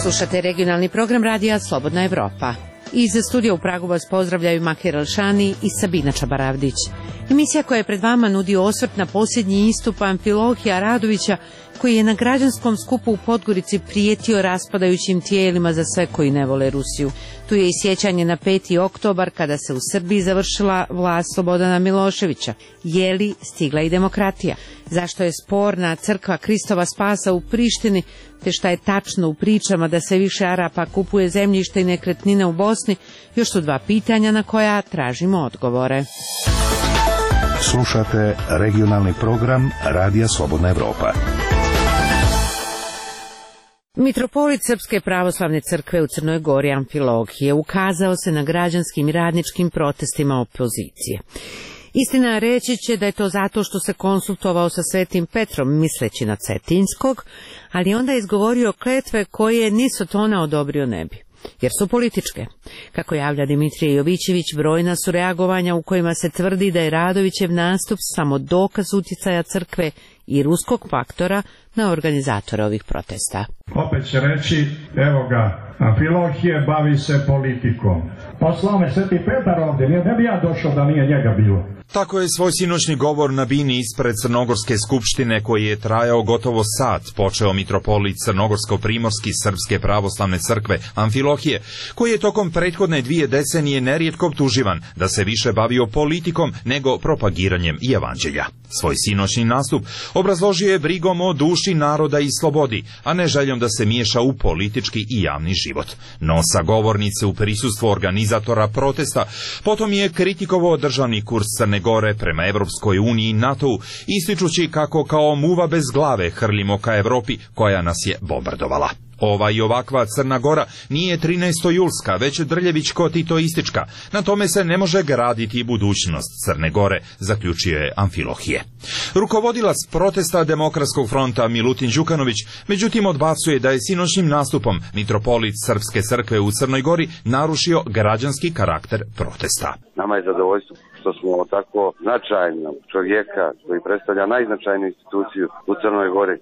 Slušate regionalni program radija Slobodna Evropa. Iz studija u Pragu vas pozdravljaju Makir Alšani i Sabina Čabaravdić. Emisija koja je pred vama nudi osvrt na posljednji istup Amfilohija Radovića, koji je na građanskom skupu u Podgorici prijetio raspadajućim tijelima za sve koji ne vole Rusiju. Tu je i sjećanje na 5. oktobar kada se u Srbiji završila vlast Slobodana Miloševića. Je li stigla i demokratija? Zašto je sporna crkva Kristova Spasa u Prištini, te šta je tačno u pričama da se više Arapa kupuje zemljište i nekretnine u Bosni, još su dva pitanja na koja tražimo odgovore. Slušate regionalni program Radija Slobodna Evropa. Mitropolit Srpske pravoslavne crkve u Crnoj Gori Amfilohije ukazao se na građanskim i radničkim protestima opozicije. Istina, reći će da je to zato što se konsultovao sa Svetim Petrom misleći na Cetinskog, ali onda je izgovorio kletve koje ni Sotona odobrio ne bi, jer su političke. Kako javlja Dimitrije Jovićević, brojna su reagovanja u kojima se tvrdi da je Radovićev nastup samo dokaz uticaja crkve i ruskog faktora na organizatore ovih protesta. Opet će reći, evo ga, Amfilohije bavi se politikom. Poslao me Sveti Petar ovdje, ne bi ja došao da nije njega bilo. Tako je svoj sinoćni govor na bini ispred Crnogorske skupštine, koji je trajao gotovo sat, počeo mitropolit Crnogorsko-primorski Srpske pravoslavne crkve Amfilohije, koji je tokom prethodne 2 decenije nerijetko optuživan da se više bavio politikom nego propagiranjem i evanđelja. Svoj sinoćni nastup obrazložio je brigom o duši naroda i slobodi, a ne željom da se miješa u politički i javni život. No sa govornice u prisustvu organizatora protesta potom je kritikovao državni kurs Crne Gore prema Evropskoj uniji i NATO-u, ističući kako kao muva bez glave hrlimo ka Evropi koja nas je bombardovala. Ova i ovakva Crna Gora nije 13. već drljevičko-titoistička. Na tome se ne može graditi budućnost Crne Gore, zaključio je Amfilohije. Rukovodilac protesta Demokratskog fronta Milutin Đukanović, međutim, odbacuje da je sinoćnim nastupom mitropolit Srpske crkve u Crnoj Gori narušio građanski karakter protesta. Nama je zadovoljstvo što smo tako značajnog čovjeka koji predstavlja najznačajniju instituciju u Crnoj Gori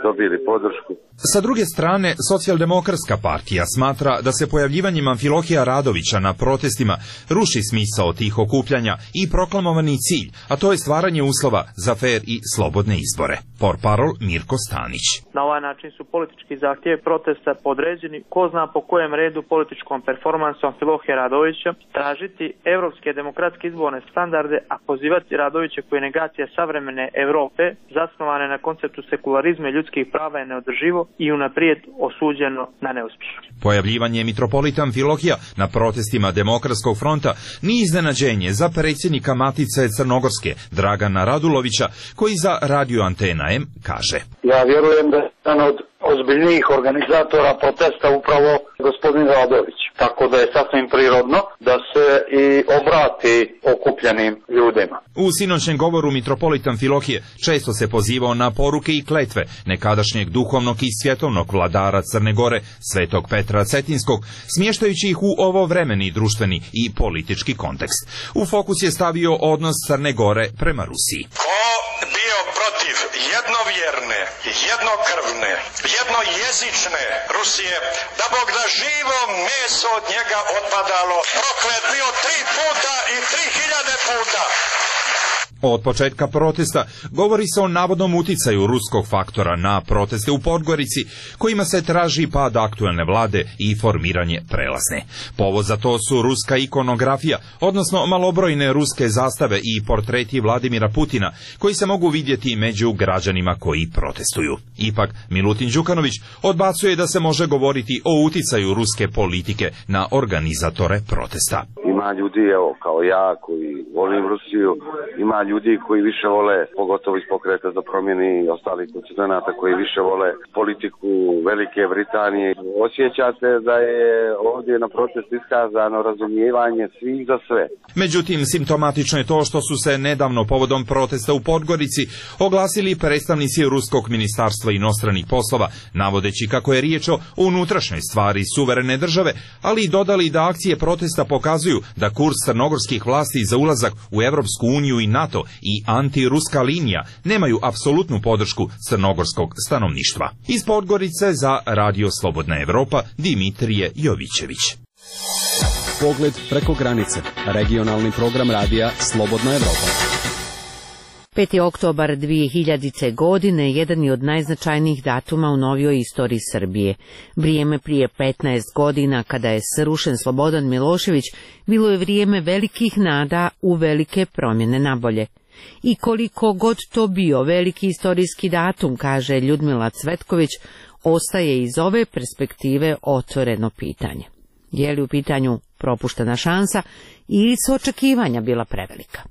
dobili podršku. Sa druge strane, Socijaldemokratska partija smatra da se pojavljivanjem Amfilohija Radovića na protestima ruši smisao tih okupljanja i proklamovani cilj, a to je stvaranje uslova za fer i slobodne izbore. Portparol Mirko Stanić. Na ovaj način su politički zahtjevi protesta podređeni, ko zna po kojem redu političkom performansu Amfilohija Radovića, tražiti evropske demokratske izborne standarde, a pozivati Radovića koji je negacija savremene Evrope, zasnovane na konceptu sekularizma i ljudskih prava, je neodrživo i unaprijed osuđeno na neuspjeh. Pojavljivanje mitropolita Amfilohija na protestima Demokratskog fronta nije iznenađenje za predsjednika Matice Crnogorske Dragana Radulovića, koji za Radio Antena M kaže: Ja vjerujem da je jedan od ozbiljnijih organizatora protesta upravo gospodin Radović, tako da je sasvim prirodno da se i obrati okupljenim ljudima. U sinoćnem govoru mitropolit Amfilohije često se pozivao na poruke i kletve nekadašnjeg duhovnog i svjetovnog vladara Crne Gore, Svetog Petra Cetinskog, smještajući ih u ovovremeni društveni i politički kontekst. U fokus je stavio odnos Crne Gore prema Rusiji. Ko bio protiv jednovjerne, jednokrvne, jednojezične Rusije, da Bog da živo meso od njega otpadalo, proklet bio 3 puta i 3000 puta. Od početka protesta govori se o navodnom uticaju ruskog faktora na proteste u Podgorici, kojima se traži pad aktuelne vlade i formiranje prelazne. Povod za to su ruska ikonografija, odnosno malobrojne ruske zastave i portreti Vladimira Putina, koji se mogu vidjeti među građanima koji protestuju. Ipak, Milutin Đukanović odbacuje da se može govoriti o uticaju ruske politike na organizatore protesta. Ima ljudi, evo, kao ja, koji volim Rusiju, ima ljudi koji više vole, pogotovo iz Pokreta za promjene i ostalih konstituenata, koji više vole politiku Velike Britanije. Osjeća se da je ovdje na protest iskazano razumijevanje svih za sve. Međutim, simptomatično je to što su se nedavno povodom protesta u Podgorici oglasili predstavnici Ruskog ministarstva inostranih poslova, navodeći kako je riječ o unutrašnjoj stvari suverene države, ali i dodali da akcije protesta pokazuju da kurs crnogorskih vlasti za ulazak u Evropsku uniju i NATO i antiruska linija nemaju apsolutnu podršku crnogorskog stanovništva. Iz Podgorice za Radio Slobodna Evropa Dimitrije Jovićević. Pogled preko granice. Regionalni program radija Slobodna Evropa. 5. oktobar 2000. godine jedan je od najznačajnijih datuma u novijoj istoriji Srbije. Vrijeme prije 15 godina, kada je srušen Slobodan Milošević, bilo je vrijeme velikih nada u velike promjene nabolje. I koliko god to bio veliki istorijski datum, kaže Ljudmila Cvetković, ostaje iz ove perspektive otvoreno pitanje. Je li u pitanju propuštena šansa ili su očekivanja bila prevelika?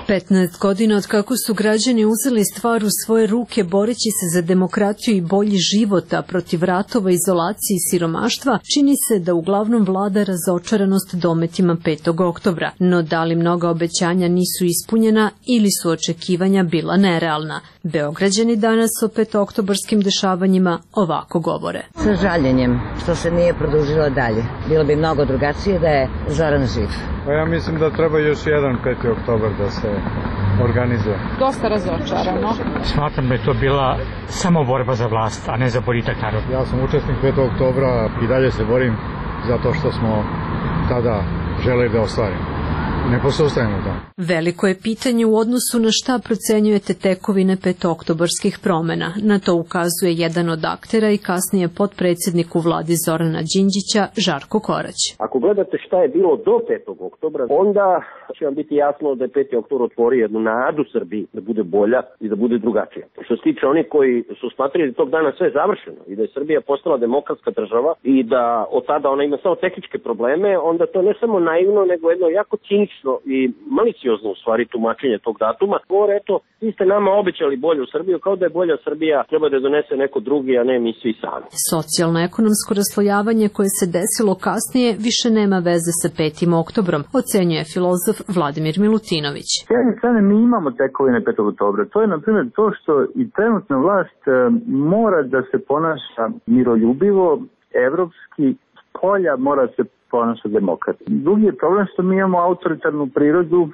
15 godina od kako su građani uzeli stvar u svoje ruke boreći se za demokratiju i bolji život, a protiv ratova, izolacije i siromaštva, čini se da uglavnom vlada razočaranost dometima 5. oktobra. No da li mnoga obećanja nisu ispunjena ili su očekivanja bila nerealna? Beograđani danas o 5-oktobarskim dešavanjima ovako govore. Sa žaljenjem što se nije produžilo dalje. Bilo bi mnogo drugačije da je Zoran živ. Pa ja mislim da treba još jedan 5. oktobar da se organizuje. Dosta razočarano. Smatram da je to bila samo borba za vlast, a ne za boljitak naroda. Ja sam učesnik 5. oktobra i dalje se borim za to što smo tada želeli da ostvarimo. Ne posustajemo to. Veliko je pitanje u odnosu na šta procenjujete tekovine 5-oktobarskih promjena. Na to ukazuje jedan od aktera i kasnije potpredsjednik u vladi Zorana Đinđića, Žarko Korać. Ako gledate šta je bilo do 5. oktobra, onda će vam biti jasno da je 5. oktobar otvorio jednu nadu Srbiji da bude bolja i da bude drugačija. Što se tiče onih koji su smatrali da tog dana sve je završeno i da je Srbija postala demokratska država i da od tada ona ima samo tehničke probleme, onda to ne samo naivno, nego jedno jako cinično i maliciozno u stvari tumačenje tog datuma. Govore, eto, vi ste nama obećali bolju Srbiju, kao da je bolja Srbija treba da donese neko drugi, a ne mi svi sami. Socijalno-ekonomsko raslojavanje koje se desilo kasnije više nema veze sa 5. oktobrom, ocenjuje filozof Vladimir Milutinović. S jedne strane mi imamo tekovine 5. oktobra. To je, na primjer, to što i trenutna vlast mora da se ponaša miroljubivo, evropski, polja mora se ponaša demokrati. Drugi je problem što mi imamo autoritarnu prirodu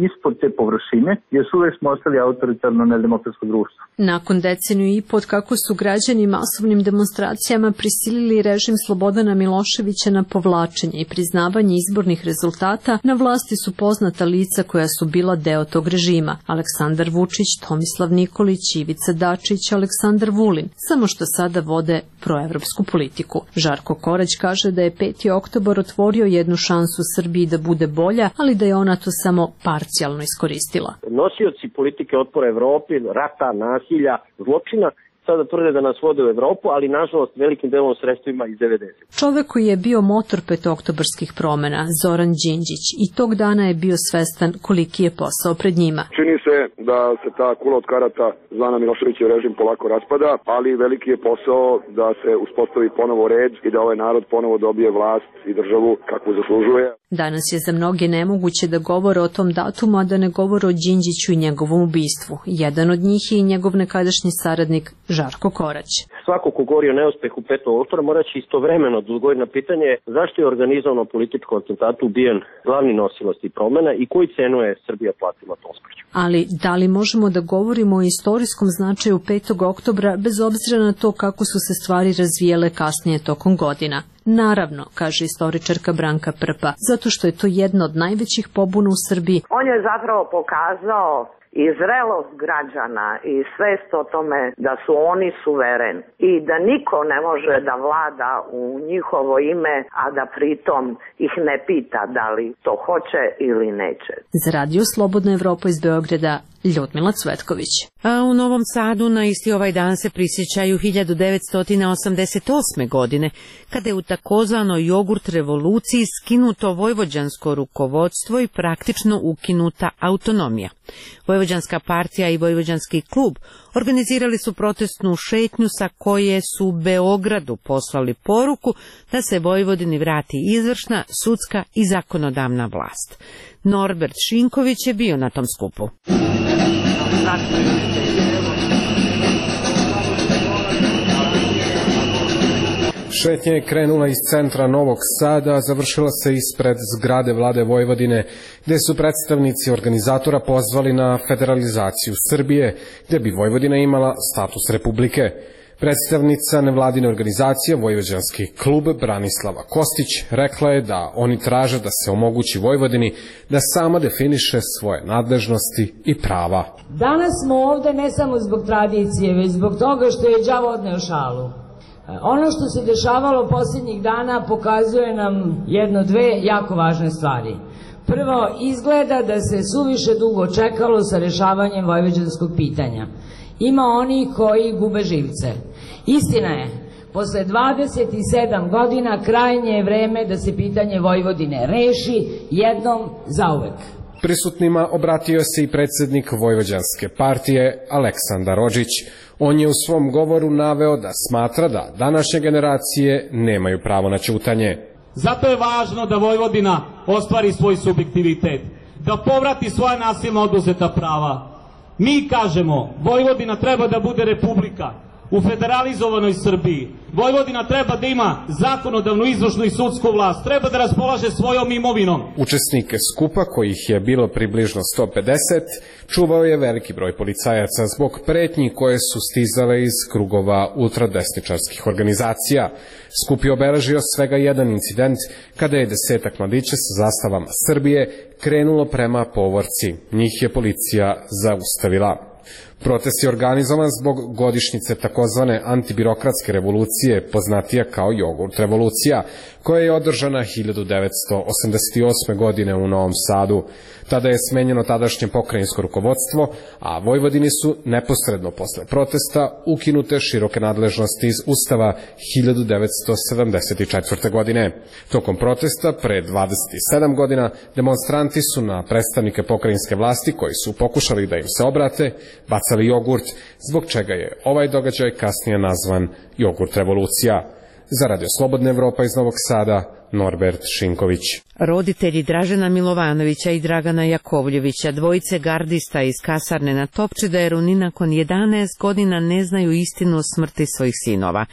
ispod te površine, jer uvek smo ostali autoritarno nedemokratsko društvo. Nakon deceniju i pod kako su građani masovnim demonstracijama prisilili režim Slobodana Miloševića na povlačenje i priznavanje izbornih rezultata, na vlasti su poznata lica koja su bila deo tog režima. Aleksandar Vučić, Tomislav Nikolić, Ivica Dačić, Aleksandar Vulin, samo što sada vode proevropsku politiku. Žarko Korać kaže da je 5. oktobar otvorio jednu šansu Srbiji da bude bolja, ali da je ona to samo parcijalno iskoristila. Nosioci politike otpora Evropi, rata, nasilja, zločina, sada tvrde da nas vode u Evropu, ali nažalost velikim delom sredstvima iz 90. Čovek koji je bio motor 5-oktobarskih promjena, Zoran Đinđić, i tog dana je bio svestan koliki je posao pred njima. Čini se da se ta kula od karata zvana Miloševićev režim polako raspada, ali veliki je posao da se uspostavi ponovo red i da ovaj narod ponovo dobije vlast i državu kakvu zaslužuje. Danas je za mnoge nemoguće da govore o tom datumu, a da ne govore o Đinđiću i njegovom ubistvu. Jedan od njih je i njegov nekadašnji saradnik Žarko Korać. Svako ko govori o neuspehu 5. oktobra mora će istovremeno odgovoriti na pitanje zašto je organizovano političko atentatu ubijen glavni nosilac tih promjena i koju cenu je Srbija platila tom smrću. Ali da li možemo da govorimo o istorijskom značaju 5. oktobra bez obzira na to kako su se stvari razvijele kasnije tokom godina? Naravno, kaže istoričarka Branka Prpa, zato što je to jedna od najvećih pobuna u Srbiji. On je zapravo pokazao i zrelost građana i svest o tome da su oni suvereni i da niko ne može da vlada u njihovo ime, a da pritom ih ne pita da li to hoće ili neće. Za Radio Slobodna Evropa iz Beograda, Ljudmila Cvetković. A u Novom Sadu na isti ovaj dan se prisjećaju 1988. godine, kada je u takozvanoj jogurt revoluciji skinuto vojvođansko rukovodstvo i praktično ukinuta autonomija. Vojvođanska partija i Vojvođanski klub organizirali su protestnu šetnju sa koje su Beogradu poslali poruku da se Vojvodini vrati izvršna, sudska i zakonodavna vlast. Norbert Šinković je bio na tom skupu. Šetnja je krenula iz centra Novog Sada, a završila se ispred zgrade vlade Vojvodine, gde su predstavnici organizatora pozvali na federalizaciju Srbije, gde bi Vojvodina imala status republike. Predstavnica nevladine organizacije Vojvođanski klub Branislava Kostić rekla je da oni traže da se omogući Vojvodini da sama definiše svoje nadležnosti i prava. Danas smo ovde ne samo zbog tradicije, već zbog toga što je đavo odneo šalu. Ono što se dešavalo posljednjih dana pokazuje nam dve jako važne stvari. Prvo, izgleda da se suviše dugo čekalo sa rešavanjem vojvođanskog pitanja. Ima oni koji gube živce. Istina je, posle 27 godina krajnje je vreme da se pitanje Vojvodine reši jednom zauvek. Prisutnima obratio se i predsednik Vojvođanske partije Aleksandar Odžić. On je u svom govoru naveo da smatra da današnje generacije nemaju pravo na ćutanje. Zato je važno da Vojvodina ostvari svoj subjektivitet, da povrati svoja nasilno oduzeta prava. Mi kažemo, Vojvodina treba da bude republika u federalizovanoj Srbiji. Vojvodina treba da ima zakonodavnu, izvršnu i sudsku vlast, treba da raspolaže svojom imovinom. Učesnike skupa, kojih je bilo približno 150, čuvao je veliki broj policajaca zbog pretnji koje su stizale iz krugova ultradesničarskih organizacija. Skup je obeležio svega jedan incident kada je 10 mladića sa zastavama Srbije krenulo prema povorci. Njih je policija zaustavila. Protest je organizovan zbog godišnjice takozvane antibirokratske revolucije, poznatija kao jogurt revolucija, koja je održana 1988. godine u Novom Sadu. Tada je smenjeno tadašnje pokrajinsko rukovodstvo, a Vojvodini su neposredno posle protesta ukinute široke nadležnosti iz Ustava 1974. godine. Tokom protesta, pre 27 godina, demonstranti su na predstavnike pokrajinske vlasti, koji su pokušali da im se obrate, bacali jogurt, zbog čega je ovaj događaj kasnije nazvan jogurt revolucija. Za Radio Slobodna Evropa iz Novog Sada, Norbert Šinković. Roditelji Dražena Milovanovića i Dragana Jakovljevića, dvojice gardista iz kasarne na Topčideru, ni nakon 11 godina ne znaju istinu o smrti svojih sinova.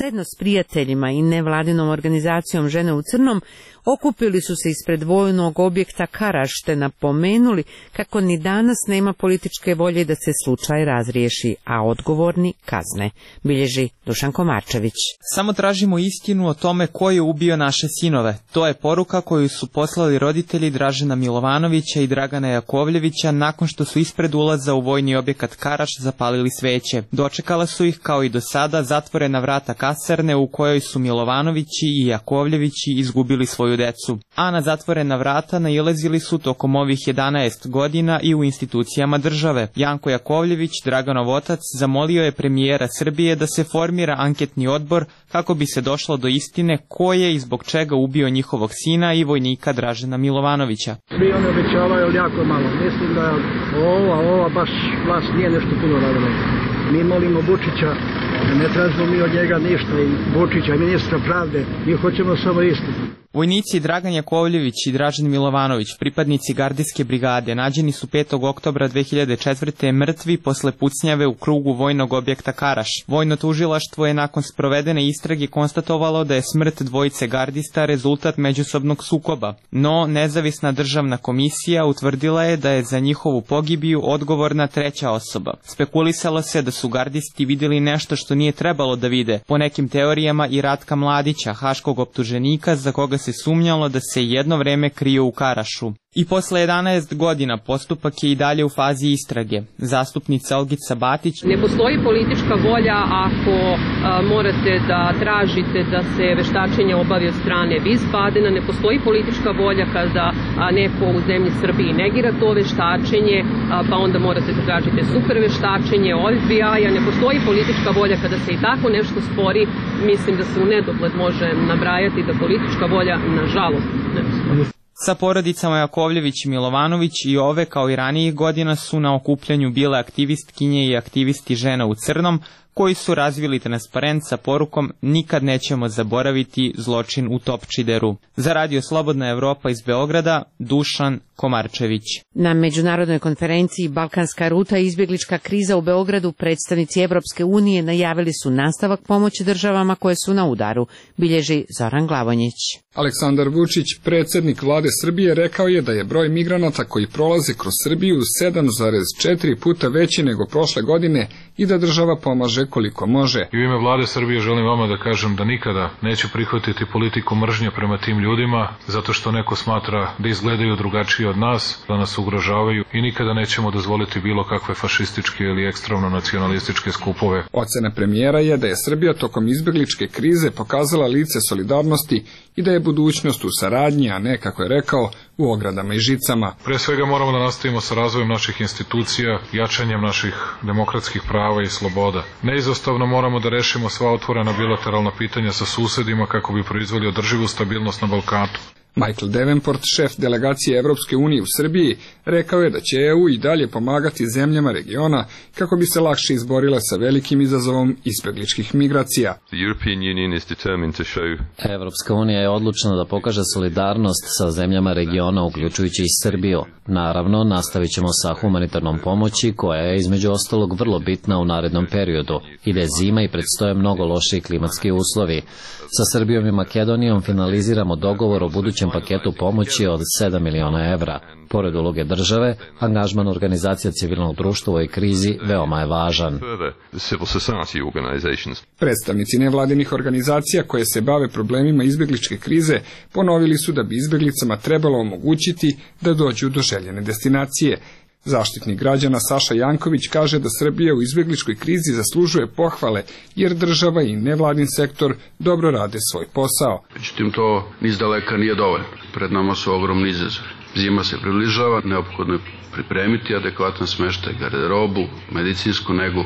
Zajedno s prijateljima i nevladinom organizacijom Žene u crnom okupili su se ispred vojnog objekta Karaš te napomenuli kako ni danas nema političke volje da se slučaj razriješi, a odgovorni kazne, bilježi Dušan Komarčević. Samo tražimo istinu o tome ko je ubio naše sinove. To je poruka koju su poslali roditelji Dražena Milovanovića i Dragana Jakovljevića nakon što su ispred ulaza u vojni objekat Karaš zapalili sveće. Dočekala su ih, kao i do sada, zatvorena vrata kasarne u kojoj su Milovanovići i Jakovljevići izgubili svoju decu. A na zatvorena vrata nailazili su tokom ovih 11 godina i u institucijama države. Janko Jakovljević, Draganov otac, zamolio je premijera Srbije da se formira anketni odbor kako bi se došlo do istine ko je i zbog čega ubio njihovog sina i vojnika Dražena Milovanovića. Svi oni obećavaju, ali jako malo. Mislim da ova baš vlast nije nešto puno radila. Mi molimo Vučića, ne tražimo mi od njega ništa, i Vučića, ministra pravde, mi hoćemo samo istinu. Vojnici Dragan Jakovljević i Dražen Milovanović, pripadnici gardijske brigade, nađeni su 5. oktobra 2004. mrtvi posle pucnjave u krugu vojnog objekta Karaš. Vojno tužilaštvo je nakon sprovedene istrage konstatovalo da je smrt dvojice gardista rezultat međusobnog sukoba, no nezavisna državna komisija utvrdila je da je za njihovu pogibiju odgovorna treća osoba. Spekulisalo se da su gardisti vidjeli nešto što nije trebalo da vide, po nekim teorijama i Ratka Mladića, haškog optuženika za koga se sumnjalo da se jedno vreme krio u Karašu. I posle 11 godina postupak je i dalje u fazi istrage. Zastupnica Olgica Batić: ne postoji politička volja ako morate da tražite da se veštačenje obavi od strane Wiesbadena, ne postoji politička volja kada neko u zemlji Srbiji negira to veštačenje, pa onda morate da tražite super veštačenje od FBI-a, ne postoji politička volja kada se i tako nešto spori. Mislim da se u nedogled može nabrajati da politička volja, nažalost, ne postoji. Sa porodicama Jakovljević i Milovanović i ove, kao i ranijih godina, su na okupljanju bile aktivistkinje i aktivisti Žena u crnom, koji su razvili transparent sa porukom "Nikad nećemo zaboraviti zločin u Topčideru". Za Radio Slobodna Evropa iz Beograda, Dušan Komarčević. Na međunarodnoj konferenciji Balkanska ruta i izbjeglička kriza u Beogradu predstavnici Evropske unije najavili su nastavak pomoći državama koje su na udaru, bilježi Zoran Glavonjić. Aleksandar Vučić, predsjednik vlade Srbije, rekao je da je broj migranata koji prolaze kroz Srbiju 7,4 puta veći nego prošle godine i da država pomaže koliko može. I u ime vlade Srbije želim vama da kažem da nikada neću prihvatiti politiku mržnje prema tim ljudima, zato što neko smatra da izgledaju drugačije od nas, da nas ugrožavaju, i nikada nećemo dozvoliti bilo kakve fašističke ili ekstremno nacionalističke skupove. Ocena premijera je da je Srbija tokom izbjegličke krize pokazala lice solidarnosti i da je budućnost u saradnji, a ne, kako je rekao, u ogradama i žicama. Pre svega moramo da nastavimo sa razvojem naših institucija, jačanjem naših demokratskih prava i sloboda. Neizostavno moramo da rešimo sva otvorena bilateralna pitanja sa susedima kako bi proizveli održivu stabilnost na Balkanu. Michael Davenport, šef delegacije Evropske unije u Srbiji, rekao je da će EU i dalje pomagati zemljama regiona kako bi se lakše izborile sa velikim izazovom izbjegličkih migracija. Evropska unija je odlučna da pokaže solidarnost sa zemljama regiona, uključujući i Srbiju. Naravno, nastavit ćemo sa humanitarnom pomoći, koja je između ostalog vrlo bitna u narednom periodu. Ide zima i predstoje mnogo lošiji klimatski uslovi. Sa Srbijom i Makedonijom finaliziramo dogovor o budućem paketu pomoći od 7 miliona evra. Pored uloge države, angažman organizacija civilnog društva u ovoj krizi veoma je važan. Predstavnici nevladinih organizacija koje se bave problemima izbjegličke krize ponovili su da bi izbjeglicama trebalo omogućiti da dođu do željene destinacije. Zaštitnik građana Saša Janković kaže da Srbija u izbjegličkoj krizi zaslužuje pohvale, jer država i nevladin sektor dobro rade svoj posao. Međutim, to niz daleka nije dovoljno. Pred nama su ogromni izazovi. Zima se približava, neophodno je pripremiti adekvatan smeštaj, garderobu, medicinsku negu.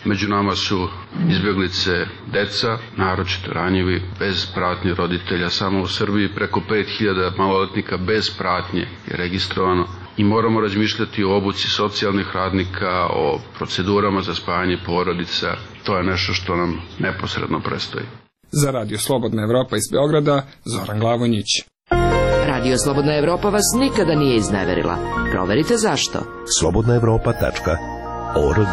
Među nama su izbjeglice deca, naročito ranjivi, bez pratnje roditelja. Samo u Srbiji preko 5000 maloletnika bez pratnje je registrovano. I moramo razmišljati o obuci socijalnih radnika, o procedurama za spajanje porodica. To je nešto što nam neposredno predstoji. Za Radio Slobodna Evropa iz Beograda, Zoran Glavonjić. Radio Slobodna Evropa vas nikada nije izneverila. Proverite zašto. slobodnaevropa.org.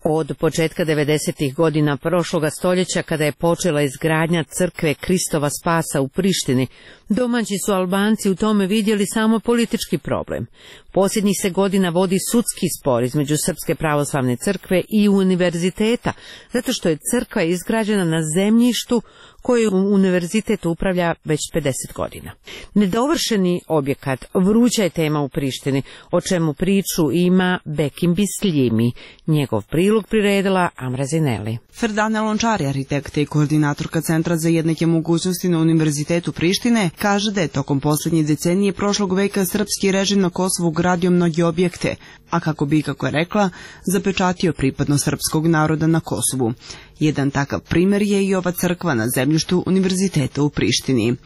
Od početka 90. godina prošloga stoljeća, kada je počela izgradnja crkve Kristova Spasa u Prištini, domaći su Albanci u tome vidjeli samo politički problem. Posljednjih se godina vodi sudski spor između Srpske pravoslavne crkve i univerziteta, zato što je crkva izgrađena na zemljištu koju univerzitet upravlja već 50 godina. Nedovršeni objekat vruća je tema u Prištini, o čemu priču ima Bekim Bisljimi. Njegov prilog priredila Amra Zineli. Ferdana Lončari, arhitekta i koordinatorka Centra za jednake mogućnosti na Univerzitetu Prištine, kaže da je tokom posljednje decenije prošlog veka srpski režim na Kosovu gradio mnoge objekte, a kako bi, kako je rekla, zapečatio pripadnost srpskog naroda na Kosovu. Jedan takav primjer je i ova crkva na zemljištu Univerziteta u Prištini.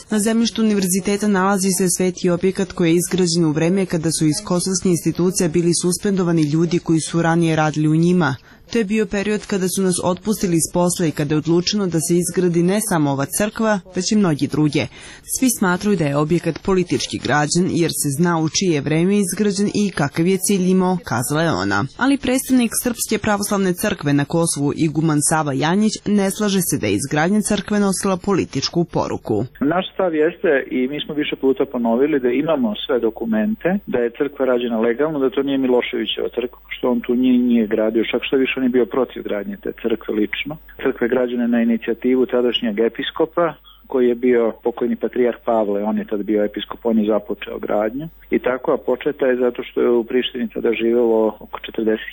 Na zemljištu univerziteta nalazi se sveti objekat koji je izgrađen u vreme kada su iz kosovskih institucija bili suspendovani ljudi koji su ranije radili u njima. To je bio period kada su nas otpustili iz posla i kada je odlučeno da se izgradi ne samo ova crkva, već i mnogi druge. Svi smatruju da je objekat politički građen, jer se zna u čije vreme izgrađen i kakav je cilj imao, kazala je ona. Ali predstavnik Srpske pravoslavne crkve na Kosovu, iguman Sava Janjić, ne slaže se da je izgradnja crkve nosila političku poruku. Naš stav jeste, i mi smo više puta ponovili, da imamo sve dokumente, da je crkva rađena legalno, da to nije Miloševićeva crkva, što on tu nije gradio, čak što više on je bio protiv gradnje te crkve lično. Crkva je građena na inicijativu tadašnjeg episkopa, koji je bio pokojni patrijarh Pavle, on je tad bio episkop, on je započeo gradnju. I tako, a početa je zato što je u Prištini tada živelo oko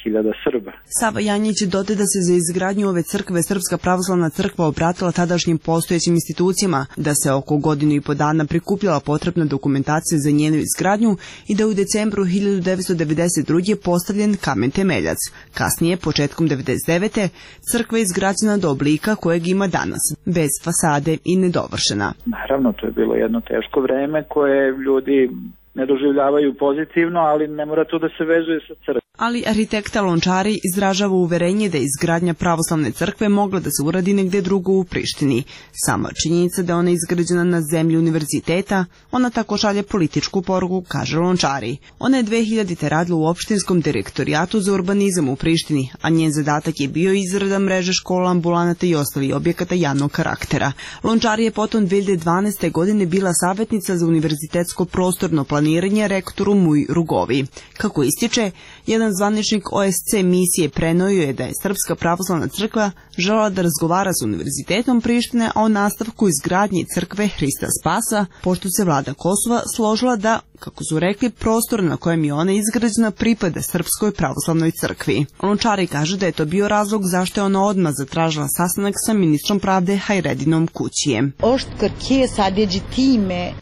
40.000 Srba. Sava Janjić dodaje da se za izgradnju ove crkve Srpska pravoslavna crkva obratila tadašnjim postojećim institucijama, da se oko godinu i po dana prikupljala potrebna dokumentacija za njenu izgradnju i da u decembru 1992. postavljen kamen temeljac. Kasnije, početkom 1999. crkva je izgrađena do oblika kojeg ima danas, bez fasade i nedovršena. Naravno, to je bilo jedno teško vreme koje ljudi ne doživljavaju pozitivno, ali ne mora to da se vezuje sa crkvom. Ali arhitekta Lončari izražava uverenje da je izgradnja pravoslavne crkve mogla da se uradi negde drugo u Prištini. Sama činjenica da ona je izgrađena na zemlji univerziteta, ona tako šalje političku poruku, kaže Lončari. Ona je 2000. radila u opštinskom direktorijatu za urbanizam u Prištini, a njen zadatak je bio izrada mreže škola, ambulanata i ostalih objekata javnog karaktera. Lončari je potom 2012. godine bila savjetnica za univerzitetsko prostorno planiranje rektoru Muj Rugovi. Kako ističe, jedan zvaničnik OSC misije prenojio je da je Srpska pravoslavna crkva želela da razgovara s Univerzitetom Prištine o nastavku izgradnje crkve Hrista Spasa, pošto se vlada Kosova složila da, kako su rekli, prostor na kojem je ona izgrađena pripada Srpskoj pravoslavnoj crkvi. Lončari kaže da je to bio razlog zašto je ona odmah zatražila sastanak sa ministrom pravde Hajredinom Kućijem.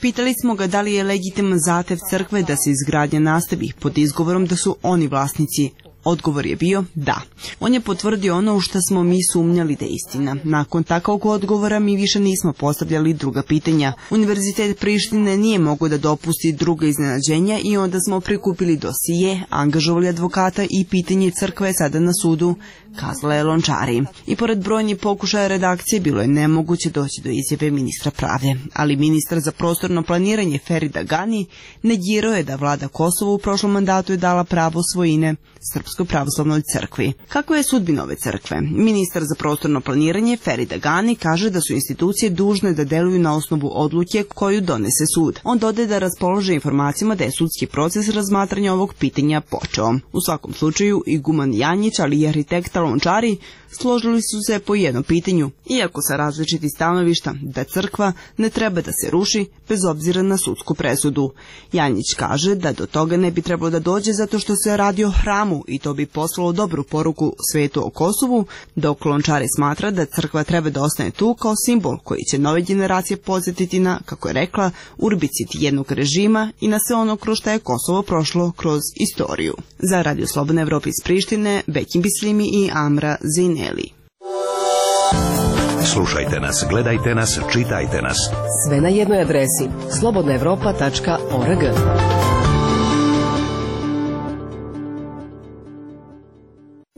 Pitali smo ga da li je legitiman zahtev crkve da se izgradnja nastavi pod izgovorom da su oni vlasnici. Odgovor je bio da. On je potvrdio ono u što smo mi sumnjali da je istina. Nakon takvog odgovora mi više nismo postavljali druga pitanja. Univerzitet Prištine nije mogao da dopusti druga iznenađenja i onda smo prikupili dosije, angažovali advokata i pitanje crkve je sada na sudu, kazala je Lončari. I pored brojnih pokušaja redakcije bilo je nemoguće doći do izjave ministra pravde. Ali ministar za prostorno planiranje Ferida Gani negirao je da vlada Kosova u prošlom mandatu je dala pravo svojine Srpskoj pravoslavnoj crkvi. Kako je sudbina ove crkve? Ministar za prostorno planiranje Ferida Gani kaže da su institucije dužne da deluju na osnovu odluke koju donese sud. On dodaje da raspolože informacijama da je sudski proces razmatranja ovog pitanja počeo. U svakom slučaju, iguman Janjić, ali i arhitekta Lončari složili su se po jednom pitanju, iako sa različitih stanovišta, da crkva ne treba da se ruši bez obzira na sudsku presudu. Janjić kaže da do toga ne bi trebalo da dođe zato što se radi o hramu i to bi poslalo dobru poruku svetu o Kosovu, dok Lončari smatra da crkva treba da ostane tu kao simbol koji će nove generacije podsjetiti na, kako je rekla, urbicid jednog režima i na sve ono kroz što je Kosovo prošlo kroz istoriju. Za Radio Slobodna Evropa iz Prištine, Bekim Bislimi i Amra Zeineli. Slušajte nas, gledajte nas, čitajte nas. Sve na jednoj adresi slobodnaevropa.org.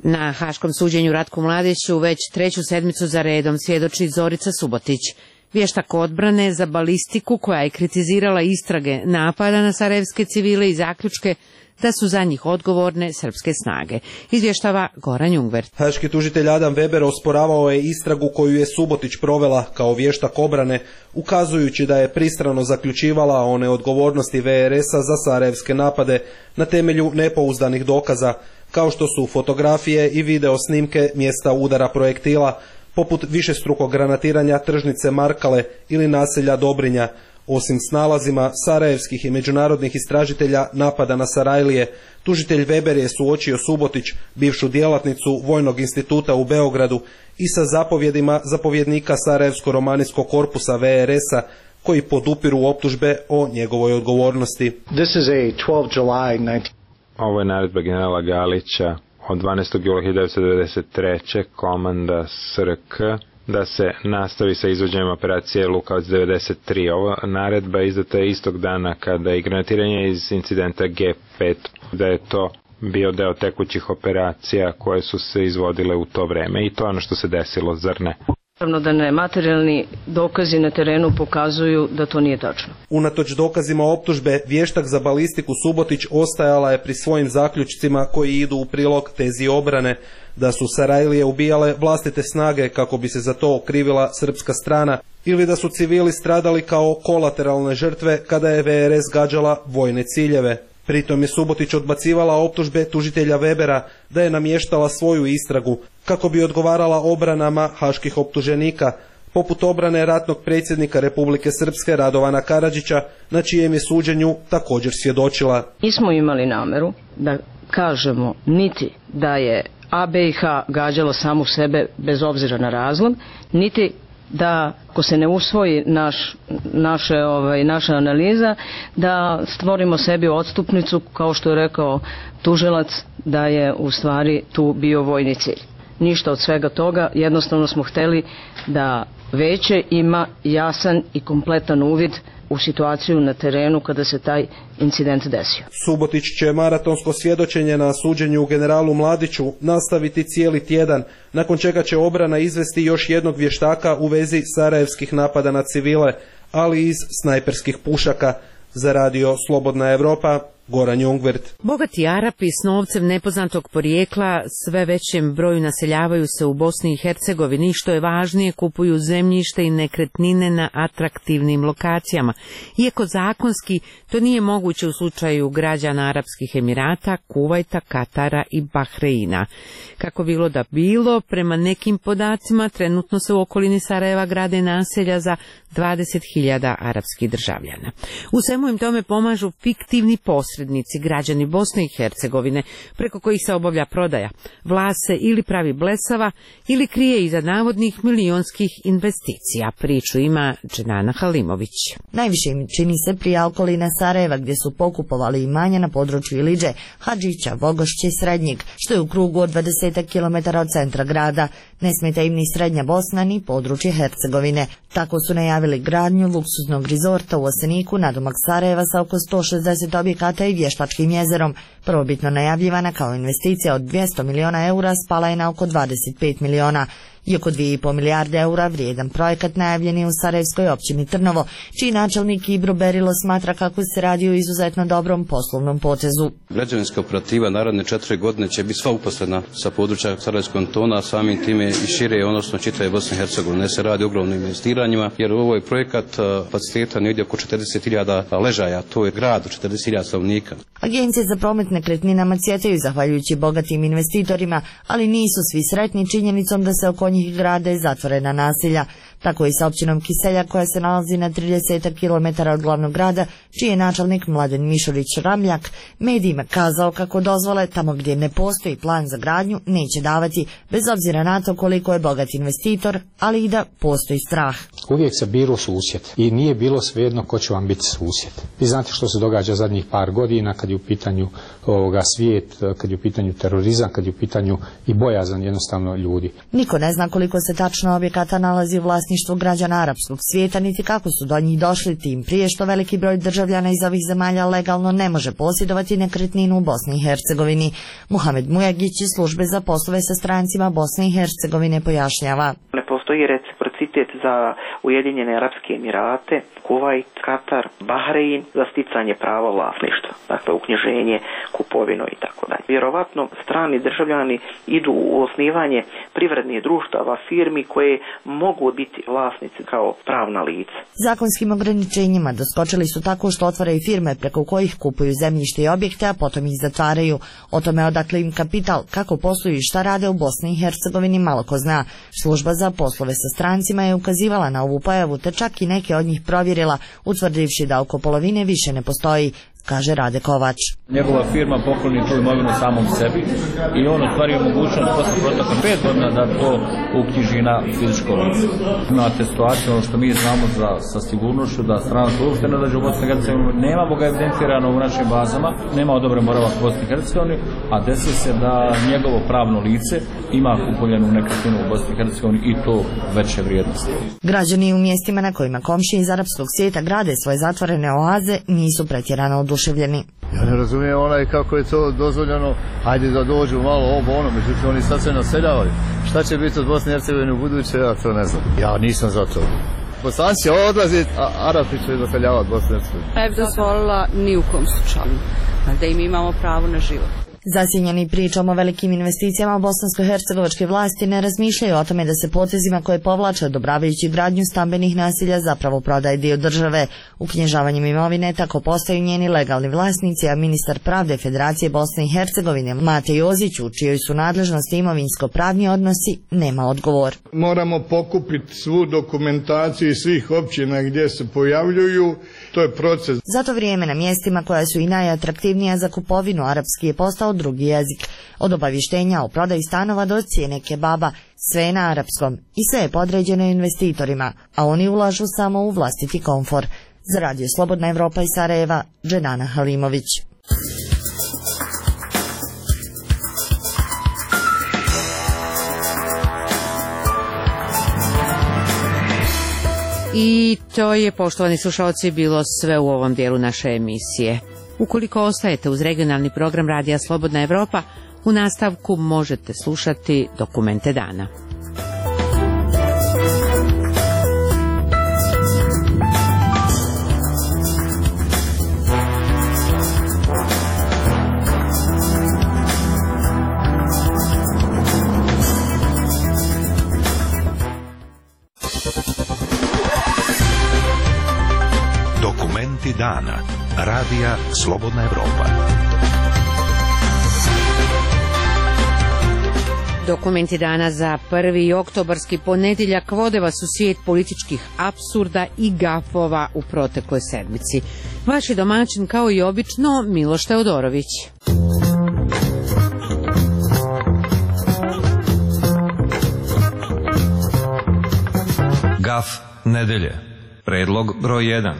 Na haškom suđenju Ratku Mladiću već treću sedmicu za redom svjedoči Zorica Subotić, vještak odbrane za balistiku koja je kritizirala istrage napada na sarajevske civile i zaključke da su za njih odgovorne srpske snage. Izvještava Goran Jungvert. Haški tužitelj Adam Weber osporavao je istragu koju je Subotić provela kao vještak obrane, ukazujući da je pristrano zaključivala o neodgovornosti VRS-a za sarajevske napade na temelju nepouzdanih dokaza, kao što su fotografije i video snimke mjesta udara projektila, poput višestrukog granatiranja tržnice Markale ili naselja Dobrinja. Osim s nalazima sarajevskih i međunarodnih istražitelja napada na Sarajlije, tužitelj Weber je suočio Subotić, bivšu djelatnicu Vojnog instituta u Beogradu, i sa zapovjedima zapovjednika Sarajevsko-romanijskog korpusa VRS-a, koji podupiru optužbe o njegovoj odgovornosti. Ovo je naredba generala Galića od 12. jula 1993. komanda SRK da se nastavi sa izvođenjem operacije Lukavac 93. Ova naredba je izdata istog dana kada je granatiranje iz incidenta G5, da je to bio deo tekućih operacija koje su se izvodile u to vreme i to je ono što se desilo, zar ne? Naravno da ne, materijalni dokazi na terenu pokazuju da to nije tačno. Unatoč dokazima optužbe, vještak za balistiku Subotić ostajala je pri svojim zaključcima koji idu u prilog tezi obrane, da su Sarajlije ubijale vlastite snage kako bi se za to okrivila srpska strana ili da su civili stradali kao kolateralne žrtve kada je VRS gađala vojne ciljeve. Pritom je Subotić odbacivala optužbe tužitelja Webera da je namještala svoju istragu kako bi odgovarala obranama haških optuženika, poput obrane ratnog predsjednika Republike Srpske Radovana Karadžića, na čijem je suđenju također svjedočila. Nismo imali nameru da kažemo niti da je ABiH gađalo samu sebe bez obzira na razlog, niti da ako se ne usvoji naša analiza, da stvorimo sebi odstupnicu, kao što je rekao tužilac, da je u stvari tu bio vojni cilj. ništa od svega toga, jednostavno smo hteli da veće ima jasan i kompletan uvid u situaciju na terenu kada se taj incident desio. Subotić će maratonsko svjedočenje na suđenju generalu Mladiću nastaviti cijeli tjedan, nakon čega će obrana izvesti još jednog vještaka u vezi sarajevskih napada na civile, ali iz snajperskih pušaka. Za radio Slobodna Evropa, Goran Jungvert. Bogati Arapi s novcem nepoznatog porijekla sve većem broju naseljavaju se u Bosni i Hercegovini, što je važnije, kupuju zemljište i nekretnine na atraktivnim lokacijama. Iako zakonski to nije moguće u slučaju građana Arapskih Emirata, Kuvajta, Katara i Bahreina. Kako bilo da bilo, prema nekim podacima trenutno se u okolini Sarajeva grade naselja za 20.000 arapskih državljana. U svemu im tome pomažu fiktivni posrednici, građani Bosne i Hercegovine, preko kojih se obavlja prodaja. Vlast se ili pravi blesava ili krije iza navodnih milionskih investicija. Priču ima Dženana Halimović. Najviše im čini se prije okolina Sarajeva, gdje su pokupovali imanja na području Iliđe, Hadžića, Vogošće i Srednjeg, što je u krugu od 20 km od centra grada. Ne smeta im ni Srednja Bosna ni područje Hercegovine. Tako su najavili gradnju luksuznog rizorta u Oseniku, nadomak Sarajeva sa oko 160 objekata i vještačkim jezerom. Prvobitno najavljivana kao investicija od 200 miliona eura spala je na oko 25 miliona. I oko 2,5 milijarde eura vrijedan projekat najavljen je u sarajevskoj općini Trnovo, čiji načelnik Ibro Berilo smatra kako se radi o izuzetno dobrom poslovnom potezu. Građevinska operativa naredne 4 godine će biti sva uposlena sa područja Sarajevskog kantona, a samim time i šire, odnosno čitave Bosne i Hercegovine. Se radi o ogromnim investiranjima, jer ovo je projekat kapaciteta negdje oko 40.000 ležaja, to je grad od 40.000 stanovnika. Agencije za promet nekretninama cvjetaju zahvaljujući bogatim investitorima, ali nisu svi sretni činjenicom da se oko njih grade zatvorena naselja. Tako i sa općinom Kiselja, koja se nalazi na 30 km od glavnog grada, čiji je načelnik Mladen Mišurić Ramljak medijima kazao kako dozvole tamo gdje ne postoji plan za gradnju neće davati, bez obzira na to koliko je bogat investitor, ali i da postoji strah. Uvijek se biro susjed i nije bilo svejedno ko će vam biti susjed. Vi znate što se događa zadnjih par godina kad je u pitanju svijet, kad je u pitanju terorizam, kad je u pitanju i bojazan jednostavno ljudi. Niko ne zna koliko se tačno objekata nalazi u vlasništvu građana arapskog svijeta, niti kako su do njih došli, tim prije što veliki broj državljana iz ovih zemalja legalno ne može posjedovati nekretninu u Bosni i Hercegovini. Muhamed Mujagić iz službe za poslove sa strancima Bosne i Hercegovine pojašnjava. Ne postoji reciprocitet za Ujedinjene Arapske Emirate, Kuvajt, Katar, Bahrein za sticanje prava vlasništva, dakle uknjiženje, kupovinu i tako dalje. Vjerovatno strani državljani idu u osnivanje privrednih društava, firmi koje mogu biti vlasnici kao pravna lica. Zakonskim ograničenjima doskočili su tako što otvaraju firme preko kojih kupuju zemljište i objekte, a potom ih zatvaraju. O tome odakle im kapital, kako posluju i šta rade u Bosni i Hercegovini malo ko zna. Služba za poslove sa strancima je ukazivala na ovu pojavu, te čak i neke od njih provjerila, utvrdivši da oko polovine više ne postoji, kaže Rade Kovač. Njegova firma pokloni tu imovinu samom sebi i on ostvario mogućnost posle proteka 5 godina da to uknjiži na fizičko lice. Imate situaciju, ono što mi znamo sa sigurnošću, da stranac uopšte ne dođe u Bosni i Hercegovini, nemamo ga evidentirano u našim bazama, nema odobren boravak u Bosni i Hercegovini, a desi se da njegovo pravno lice ima kupovljenu nekretninu u Bosni i Hercegovini i to veće vrijednosti. Građani u mjestima na kojima komšije iz arapskog svijeta grade svoje zatvorene oaze nisu pretjerano oduševljeni. Ja ne razumijem kako je to dozvoljeno, ajde da dođu malo ovo, međutim oni sad se naseljavaju. Šta će biti od Bosne i Hercegovine u buduće, ja to ne znam. Ja nisam za to. Bosanci će odlaziti, a Arapi će naseljavati Bosne i Hercegovine. Ne bi dozvolila ni u kom slučaju, da im imamo pravo na život. Zasjenjeni pričom o velikim investicijama, bosansko-hercegovačke vlasti ne razmišljaju o tome da se potezima koje povlače odobravajući gradnju stambenih naselja zapravo prodaje dio države. Uknjižavanjem imovine tako postaju njeni legalni vlasnici, a ministar pravde Federacije Bosne i Hercegovine Mate Jozić, u čijoj su nadležnosti imovinsko-pravni odnosi, nema odgovor. Moramo pokupiti svu dokumentaciju iz svih općina gdje se pojavljuju, to je proces. Zato vrijeme na mjestima koja su i najatraktivnija za kupovinu arapski je postao drugi jezik. Od obavještenja o prodaji stanova do cijene kebaba, sve je na arapskom i sve je podređeno investitorima, a oni ulažu samo u vlastiti komfor. Za radio Slobodna Evropa iz Sarajeva, Dženana Halimović. I to je, poštovani slušalci, bilo sve u ovom dijelu naše emisije. Ukoliko ostajete uz regionalni program Radija Slobodna Evropa, u nastavku možete slušati Dokumente dana. Dokumenti dana. Radija Slobodna Evropa. Dokumenti dana za 1. oktobarski ponedjeljak vode vas u svijet političkih apsurda i gafova u protekloj sedmici. Vaš je domaćin, kao i obično, Miloš Teodorović. Gaf nedelje. Predlog broj 1.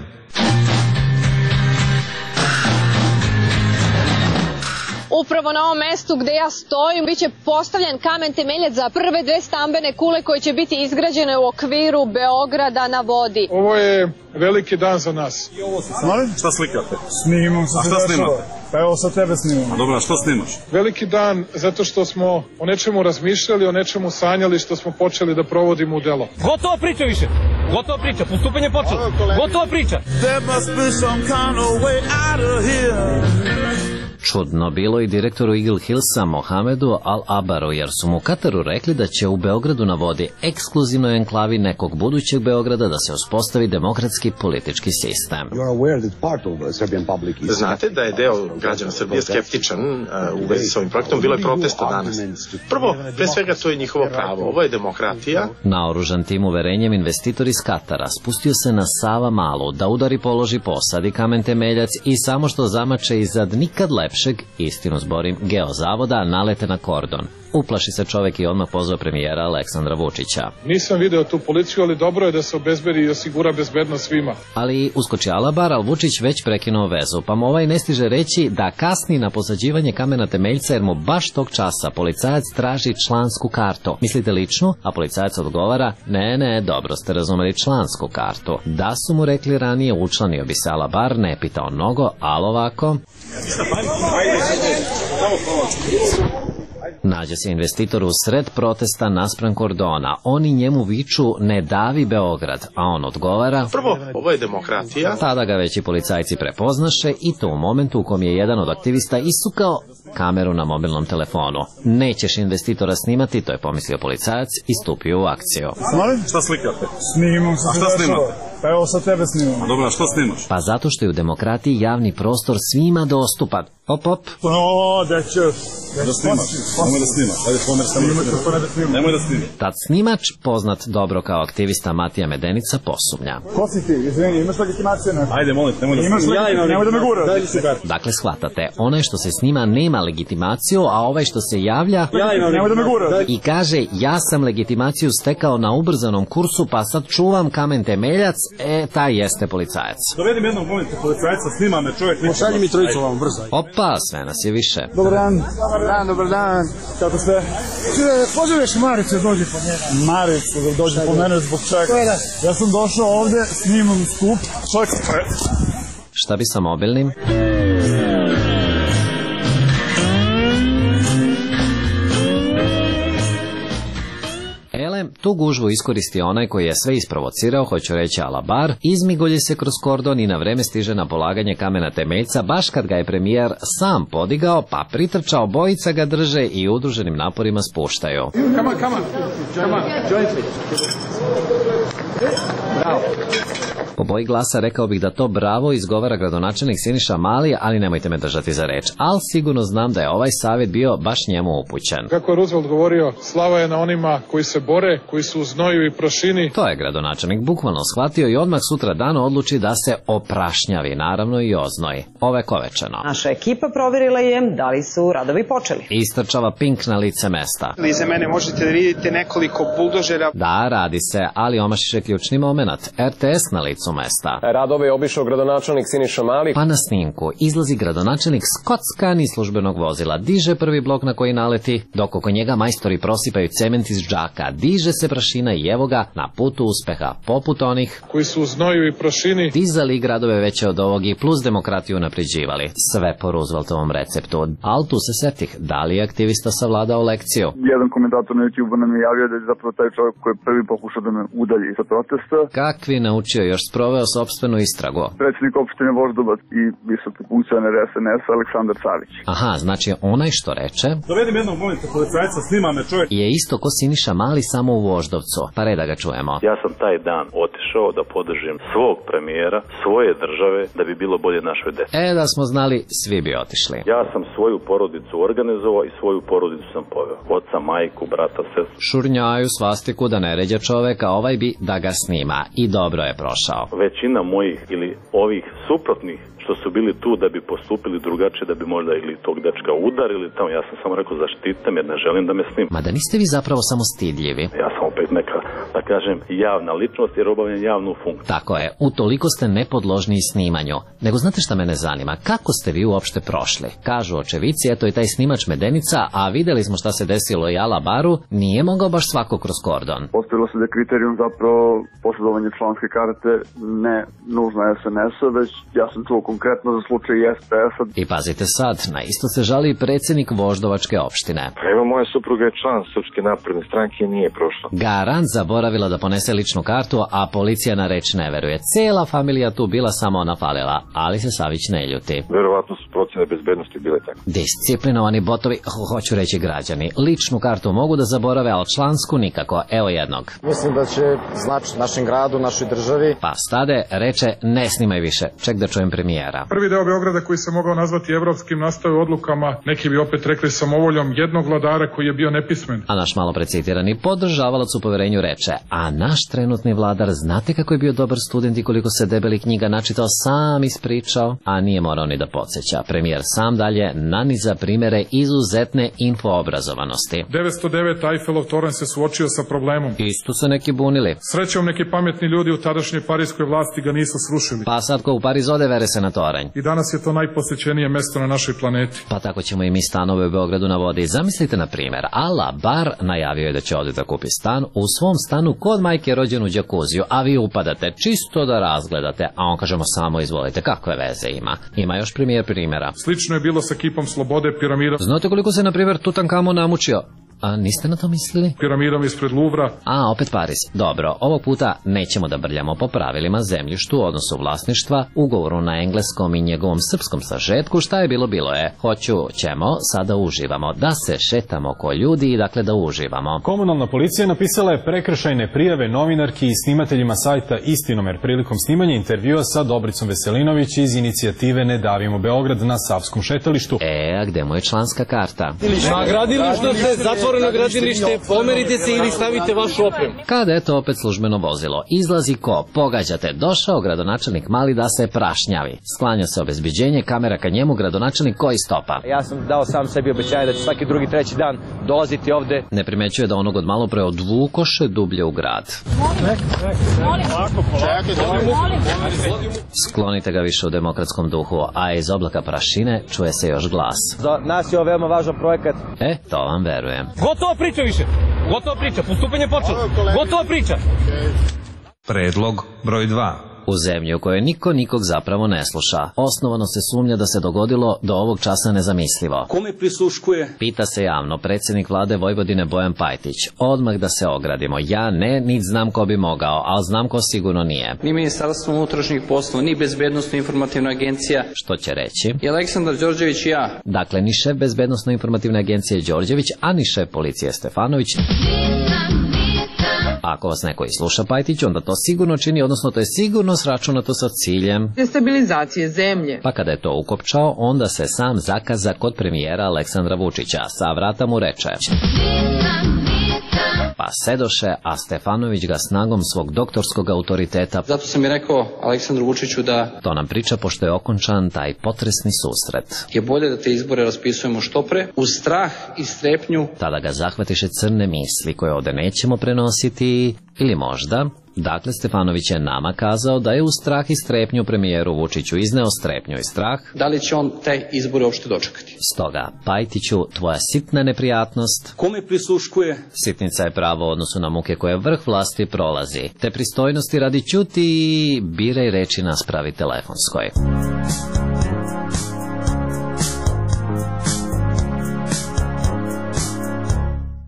Upravo na ovom mestu gde ja stojim biće postavljen kamen temeljac za prve 2 stambene kule koje će biti izgrađene u okviru Beograda na vodi. Ovo je veliki dan za nas. Šta slikate? Snimam. A šta snimate? Pa evo sa tebe snimam. Dobro, što snimaš? Veliki dan zato što smo o nečemu razmišljali, o nečemu sanjali, što smo počeli da provodimo u delo. Gotovo priča više. Gotovo priča, postupanje počelo. Gotovo priča. Čudno bilo i direktoru Eagle Hillsa Mohamedu Al-Abaru, jer su mu u Kataru rekli da će u Beogradu na vodi, ekskluzivnoj enklavi nekog budućeg Beograda, da se uspostavi demokratski politički sistem. Znate da je deo građana Srbije skeptičan u vezi s ovim projektom, bilo je protesta danas. Prvo, pre svega, to je njihovo pravo, ovo je demokratija. Naoružan tim uverenjem, investitor iz Katara spustio se na Sava Malu da udari, položi, posadi kamen temeljac i samo što zamače izad nikad lepšeg, istinu zborim, geozavoda, nalete na kordon. Uplaši se čovek i odmah pozvao premijera Aleksandra Vučića. Nisam video tu policiju, ali dobro je da se obezbedi i osigura bezbednost svima. Ali uskoči Alabar, ali Vučić već prekinuo vezu, pa mu ovaj ne stiže reći da kasni na posađivanje kamena temeljca, jer mu baš tog časa policajac traži člansku kartu. Mislite ličnu? A policajac odgovara, ne, dobro ste razumeli, člansku kartu. Da su mu rekli ranije, učlanio bi se Alabar, ne pitao mnogo, ali ovako... Nađe se investitor u sred protesta naspram kordona. Oni njemu viču ne davi Beograd, a on odgovara... Prvo, ovo je demokratija. Tada ga već i policajci prepoznaše i to u momentu u kom je jedan od aktivista isukao kameru na mobilnom telefonu. Nećeš investitora snimati, to je pomislio policajac i stupio u akciju. Šta slikate? Snimam. A šta snimate? Pa evo sa tebe snimam. Dobro, što snimaš? Pa zato što je u demokratiji javni prostor svima dostupan. Op. Da ćeš. Da snimaš. Nemoj da snimaš. Ajde, pomer samo da snimaš. Nemoj da snimaš. Tad snimač, poznat dobro kao aktivista Matija Medenica, posumnja. Ko si ti? Izvini, imaš legitimaciju? Ajde, molim, nemoj da snimaš. Nemoj da me guraš. Dakle, shvatate, onaj što se snima nema legitimaciju, a ovaj što se javlja... Nemoj da me guraš. I kaže, ja sam legitimaciju stekao na ubrzanom kursu, pa sad čuvam kamen temeljac, taj jeste policajac. Dovedim jednog momenta policajca, snima me čovjek. Pošalji mi trojicu vam brzo. Opa, sve nas je više. Dobar dan. Dobar dan. Kako ste? Pozoveš Maricu da dođe po njega. Maricu da dođe po mene zbog čega? Ja sam došao ovde, snimam skup. Čovjek se... Šta bi sa mobilnim? Tu gužvu iskoristi onaj koji je sve isprovocirao, hoću reći Alabar, izmigolji se kroz kordon i na vreme stiže na polaganje kamena temeljca, baš kad ga je premijer sam podigao, pa pritrčao, bojica ga drže i udruženim naporima spuštaju. Come on, join me. Bravo. Po boji glasa rekao bih da to bravo izgovara gradonačelnik Siniša Mali, ali nemojte me držati za reč. Ali sigurno znam da je ovaj savjet bio baš njemu upućen. Kako je Roosevelt govorio, slava je na onima koji se bore, koji su u znoju i prašini. To je gradonačelnik bukvalno shvatio i odmah sutra dan odluči da se oprašnjavi, naravno i oznoji. Ovekovečeno. Naša ekipa provjerila je da li su radovi počeli. Istrčava Pink na lice mesta. Iza mene možete da vidite nekoliko buldožera. Da, radi se, ali omašiše ključni moment. RTS na licu licu mesta. Radove je obišao gradonačelnik Siniša Mali. Pa na snimku izlazi gradonačelnik skockan iz službenog vozila, diže prvi blok na koji naleti, dok oko njega majstori prosipaju cement iz džaka, diže se prašina i evo ga na putu uspeha, poput onih koji su u znoju i prašini dizali gradove veće od ovog i plus demokratiju napređivali. Sve po Rooseveltovom receptu. Al tu se setih, da li je aktivista savladao lekciju? Jedan komentator na YouTube nam je javio da je zapravo taj čovjek koji je prvi pokušao da me udalji sa protesta. Kakvi naučio, još sproveo sopstvenu istragu. Predsjednik opštine Voždovac i visoki funkcioner SNS Aleksandar Savić. Aha, znači onaj što reče dovedim jednog molite policajca, snima me čovjek. Je isto ko Siniša Mali, samo u Voždovcu. Pa red da ga čujemo. Ja sam taj dan otišao da podržim svog premijera, svoje države, da bi bilo bolje našoj deci. Da smo znali, svi bi otišli. Ja sam svoju porodicu organizovao i svoju porodicu sam poveo. Oca, majku, brata, sestru. Šurnjaju svastiku da ne ređe čoveka, ovaj bi da ga snima. I dobro je prošao. Većina mojih ili ovih suprotnih što su bili tu da bi postupili drugačije, da bi možda ili tog dečka udarili tamo. Ja sam samo rekao zaštitam jer ne želim da me snima. Ma da niste vi zapravo samo stidljivi? Ja sam opet neka, da kažem, javna ličnost jer obavljam javnu funkciju. Tako je, utoliko ste nepodložni snimanju. Nego znate šta mene zanima? Kako ste vi uopšte prošli? Kažu očevici, eto i taj snimač Medenica, a videli smo šta se desilo i Ala Baru, nije mogao baš svako kroz kordon. Postavilo se da je kriterijum zapravo posjedovanje članske karte, ne nužno SNS-a, već ja sam čuo konkretno za slučaj SPS-a. I pazite sad, na isto se žali i predsjednik Voždovačke opštine. Evo, moja supruga je član Srpske napredne stranke i nije prošla. Garant zaboravila da ponese ličnu kartu, a policija na reč ne veruje. Cela familija tu bila, samo ona falila, ali se Savić ne ljuti. Verovatno su procene bezbednosti bile tako. Disciplinovani botovi, hoću reći građani, ličnu kartu mogu da zaborave, ali člansku nikako. Evo jednog. Mislim da će značiti našem gradu, našoj državi. Pa stade, reče, ne snimaj više, ček da čujem premijera. Prvi deo Beograda koji se mogao nazvati evropskim nastao odlukama, neki bi opet rekli samovoljom jednog vladara koji je bio nepismen. A naš malo precitirani podržavalac u poverenju reče, a naš trenutni vladar, znate kako je bio dobar student i koliko se debeli knjiga načitao, sam ispričao, a nije morao ni da podsjeća. Premijer sam dalje naniza primere izuzetne infoobrazovanosti. 909 Eiffelov toranj se suočio sa problemom. Isto se neki bunili. Srećom neki pametni ljudi u tadašnjoj parijskoj vlasti ga nisu srušili. Pa sad ko u Pariz ode, vere se na toranj. I danas je to najposećenije mesto na našoj planeti. Pa tako ćemo i mi stanove u Beogradu na vodi. Zamislite na primjer, Ala Bar najavio je da će ovdje da kupi stan, u svom stanu kod majke rođen u džakuziju, a vi upadate čisto da razgledate, a on kažemo samo izvolite, kakve veze ima. Ima još primjera. Slično je bilo sa kipom Slobode, piramidom. Znate koliko se na primjer Tutankamon namučio? A niste na to mislili? Piramidom ispred Luvra. A, opet Pariz. Dobro, ovog puta nećemo da brljamo po pravilima zemljištu, odnosu vlasništva, ugovoru na engleskom i njegovom srpskom sažetku. Šta je bilo je. Ćemo, sada uživamo. Da se šetamo ko ljudi i dakle da uživamo. Komunalna policija napisala je prekršajne prijave novinarki i snimateljima sajta Istinomer prilikom snimanja intervjua sa Dobricom Veselinović iz inicijative Ne davimo Beograd na Savskom šetalištu. A gde mu je članska karta? Na gradilištu se zatvoreno gradilište, pomerite se ili stavite vašu opremu. Kada eto opet službeno vozilo, izlazi ko? Pogađate, došao gradonačelnik Mali da se prašnjavi. Sklanja se obezbeđenje, kamera ka njemu, gradonačelnik koji stopa. Ja sam dao sam sebi obećanje da ću svaki drugi, treći dan dolaziti ovde. Ne primećuje da onog od malo pre odvukoše dublje u grad. Sklonite ga više u demokratskom duhu, a iz oblaka prašine čuje se još glas. Za nas je ovo veoma važan projekat. To vam verujem. Gotova priča više. Gotova priča. Postupanje počelo. Gotova priča. Predlog broj 2. U zemlji u kojoj niko nikog zapravo ne sluša. Osnovano se sumnja da se dogodilo do ovog časa nezamislivo. Kome prisluškuje? Pita se javno predsjednik vlade Vojvodine Bojan Pajtić. Odmah da se ogradimo. Ja ne, niti znam ko bi mogao, ali znam ko sigurno nije. Ni Ministarstvo unutrašnjih poslova, ni Bezbednosno informativna agencija. Što će reći? I Aleksandar Đorđević i ja. Dakle, ni šef Bezbednosno informativne agencije Đorđević, a ni šef policije Stefanović. Ako vas neko i sluša Pajtić, onda to sigurno čini, odnosno to je sigurno sračunato sa ciljem destabilizacije zemlje. Pa kada je to ukopčao, onda se sam zakaza kod premijera Aleksandra Vučića. Sa vrata mu reče: pa sedoše, a Stefanović ga snagom svog doktorskog autoriteta. Zato sam i rekao Aleksandru Vučiću da... To nam priča pošto je okončan taj potresni susret. Je bolje da te izbore raspisujemo što pre, uz strah i strepnju. Tada ga zahvatiše crne misli koje ovde nećemo prenositi, ili možda... Dakle, Stefanović je nama kazao da je u strah i strepnju premijeru Vučiću izneo strepnju i strah. Da li će on te izbore uopšte dočekati? Stoga, Pajtiću, tvoja sitna neprijatnost. Kome prisluškuje? Sitnica je pravo u odnosu na muke koje vrh vlasti prolazi. Te pristojnosti radi ćuti i biraj reči naspravi telefonskoj.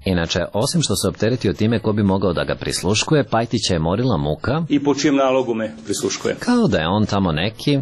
Inače, osim što se opteretio time ko bi mogao da ga prisluškuje, Pajtića je morila muka. I po čijem nalogu me prisluškuje? Kao da je on tamo neki,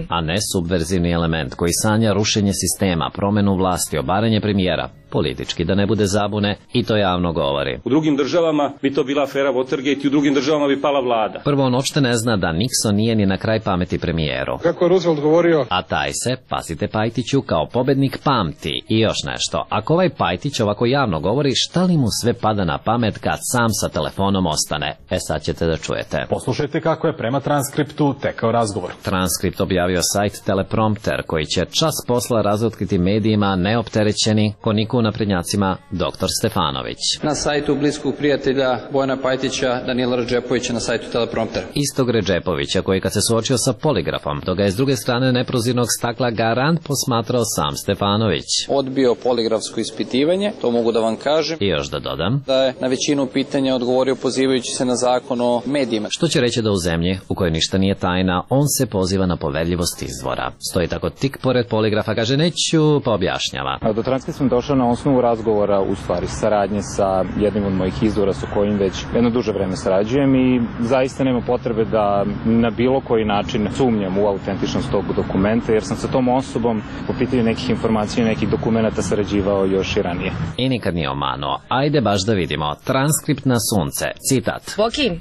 a ne subverzivni element koji sanja rušenje sistema, promenu vlasti, obaranje premijera. Politički, da ne bude zabune, i to javno govori. U drugim državama bi to bila afera Watergate i u drugim državama bi pala vlada. Prvo, on uopšte ne zna da Nixon nije ni na kraj pameti premijeru. Kako je Roosevelt govorio? A taj se, pazite Pajtiću, kao pobednik pamti. I još nešto, ako ovaj Pajtić ovako javno govori, šta li mu sve pada na pamet kad sam sa telefonom ostane? Sad ćete da čujete. Poslušajte kako je prema transkriptu tekao razgovor. Transkript objavio sajt Teleprompter, koji će čas posla razotkriti medijima neopterećeni koniku naprednjacima dr. Stefanović. Na sajtu bliskog prijatelja Bojana Pajtića, Danila Redžepovića na sajtu Teleprompter. Istog Redžepovića koji kad se suočio sa poligrafom, dok ga je s druge strane neprozirnog stakla garant posmatrao sam Stefanović. Odbio poligrafsko ispitivanje, to mogu da vam kažem. I još da dodam da je na većinu pitanja odgovorio pozivajući se na zakon o medijima. Što će reći da u zemlji u kojoj ništa nije tajna, on se poziva na poverljivost izvora. Stoji tako tik pored poligrafa, kaže neću, pa objašnjava. Do transkripta sam došao na osnovu razgovora, u stvari saradnje sa jednim od mojih izvora sa kojim već jedno duže vreme sarađujem i zaista nema potrebe da na bilo koji način sumnjam u autentičnost tog dokumenta, jer sam sa tom osobom po pitanju nekih informacija i nekih dokumenta sarađivao još i ranije. I nikad nije omanuo. Ajde baš da vidimo. Transkript na sunce. Citat.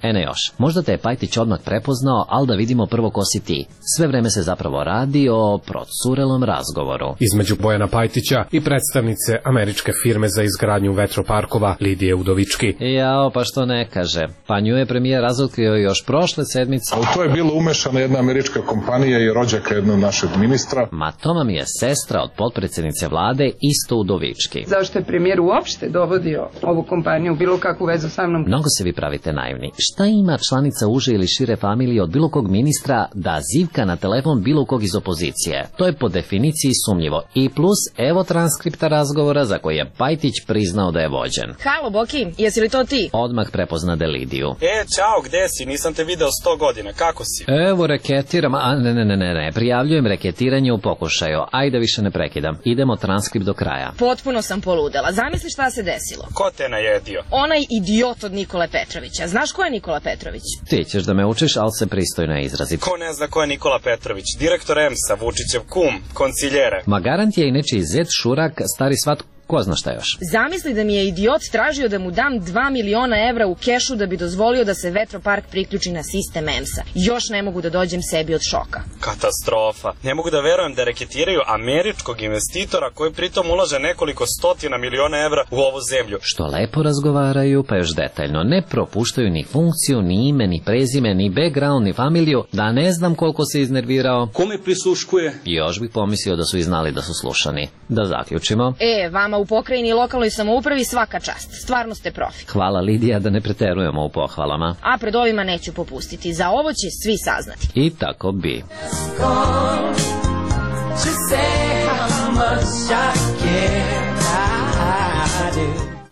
Ne još. Možda te je Pajtić odmah prepoznao, ali da vidimo prvo ko si ti. Sve vreme se zapravo radi o procurelom razgovoru između Bojana Pajtića i predstavnice američke firme za izgradnju vetroparkova Lidije Udovički. Jao, pa što ne kaže. Pa nju je premijer razotkrio još prošle sedmice. U to je bilo umešana jedna američka kompanija i rođaka jednog našeg ministra. Ma to vam je sestra od potpredsjednice vlade isto Udovički. Zašto je premijer uopšte dovodio ovu kompaniju bilo kakvu vezu sa mnom? Mnogo se vi pravite naivni. Šta ima članica uže ili šire familije od bilo kog ministra da zivka na telefon bilo kog iz opozicije? To je po definiciji sumnjivo. I plus, evo transkripta razgovora za koji je Pajtić priznao da je vođen. Halo, Boki, jesi li to ti? Odmah prepoznade Lidiju. Ćao, gde si? Nisam te video 100 godina, kako si? Evo, reketiram, ne, prijavljujem reketiranje u pokušaju. Ajde, više ne prekidam. Idemo transkript do kraja. Potpuno sam poludela. Zamisli šta se desilo. Ko te najedio? Onaj idiot od Nikole Petrovića. Znaš ko je Nikola Petrović? Ti ćeš da me učiš, ali se pristojno izrazi. Ko ne zna ko je Nikola Petrović? Direktor EMS-a, Vučićev kum, konciljere. Ma garant je i nečiji zet, šurak, stari svat, ko zna šta još. Zamisli da mi je idiot tražio da mu dam 2 miliona evra u kešu da bi dozvolio da se vetropark priključi na sistem EMS-a. Još ne mogu da dođem sebi od šoka. Katastrofa. Ne mogu da verujem da reketiraju američkog investitora koji pritom ulaže nekoliko stotina miliona evra u ovu zemlju. Što lepo razgovaraju, pa još detaljno. Ne propuštaju ni funkciju, ni ime, ni prezime, ni background, ni familiju, da ne znam koliko se iznervirao. Kome prisluškuje? Još bih pomislio da su i znali da su slušani. Da zaključimo. Vama u pokrajini i lokalnoj samoupravi svaka čast. Stvarno ste profi. Hvala Lidija, da ne preterujemo u pohvalama. A pred ovima neću popustiti. Za ovo će svi saznati. I tako bi.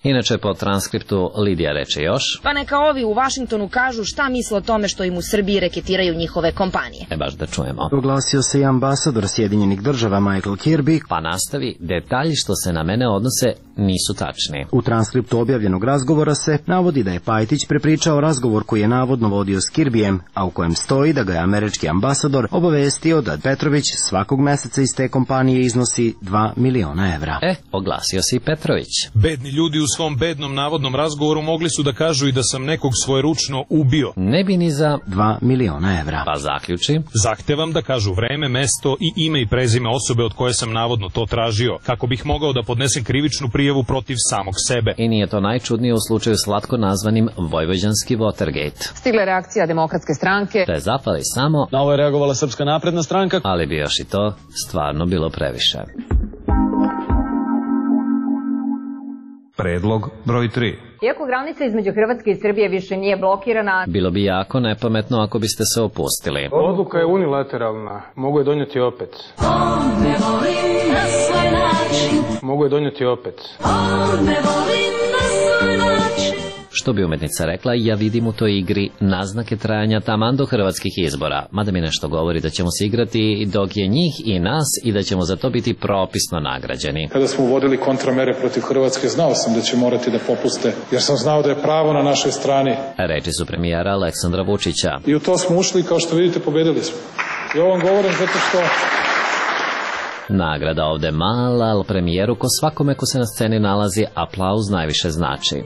Inače, po transkriptu Lidija reče još. Pa neka ovi u Vašingtonu kažu šta misle o tome što im u Srbiji reketiraju njihove kompanije. Baš da čujemo. Oglasio se i ambasador Sjedinjenih država Michael Kirby. Pa nastavi, detalji što se na mene odnose nisu tačni. U transkriptu objavljenog razgovora se navodi da je Pajtić prepričao razgovor koji je navodno vodio s Kirbijem, a u kojem stoji da ga je američki ambasador obavestio da Petrović svakog meseca iz te kompanije iznosi 2 miliona evra. Oglasio se i Petrović. Bedni ljudi u svom bednom navodnom razgovoru mogli su da kažu i da sam nekog svojeručno ubio. Ne bi ni za 2 miliona evra. Pa zaključi. Zahtevam da kažu vreme, mesto i ime i prezime osobe od koje sam navodno to tražio, kako bih mogao da podnesem krivičnu prijavu protiv samog sebe. I nije to najčudnije u slučaju slatko nazvanim Vojvođanski Watergate. Stigla je reakcija Demokratske stranke. Da je zapali samo. Na ovo je reagovala Srpska napredna stranka. Ali bi još i to stvarno bilo previše. Predlog broj 3. Iako granica između Hrvatske i Srbije više nije blokirana, bilo bi jako nepametno ako biste se opustili. Odluka je unilateralna, mogu je donijeti opet. Mogu je donijeti opet. Što bi umetnica rekla, ja vidim u toj igri naznake trajanja taman do hrvatskih izbora, mada mi nešto govori da ćemo se igrati dok je njih i nas i da ćemo za to biti propisno nagrađeni. Kada smo uvodili kontramere protiv Hrvatske, znao sam da će morati da popuste, jer sam znao da je pravo na našoj strani. Reči su premijera Aleksandra Vučića. I u to smo ušli i kao što vidite pobedili smo. I ovo vam govorim zato što... Nagrada ovde mala, ali premijeru ko svakome ko se na sceni nalazi, aplauz najviše znači.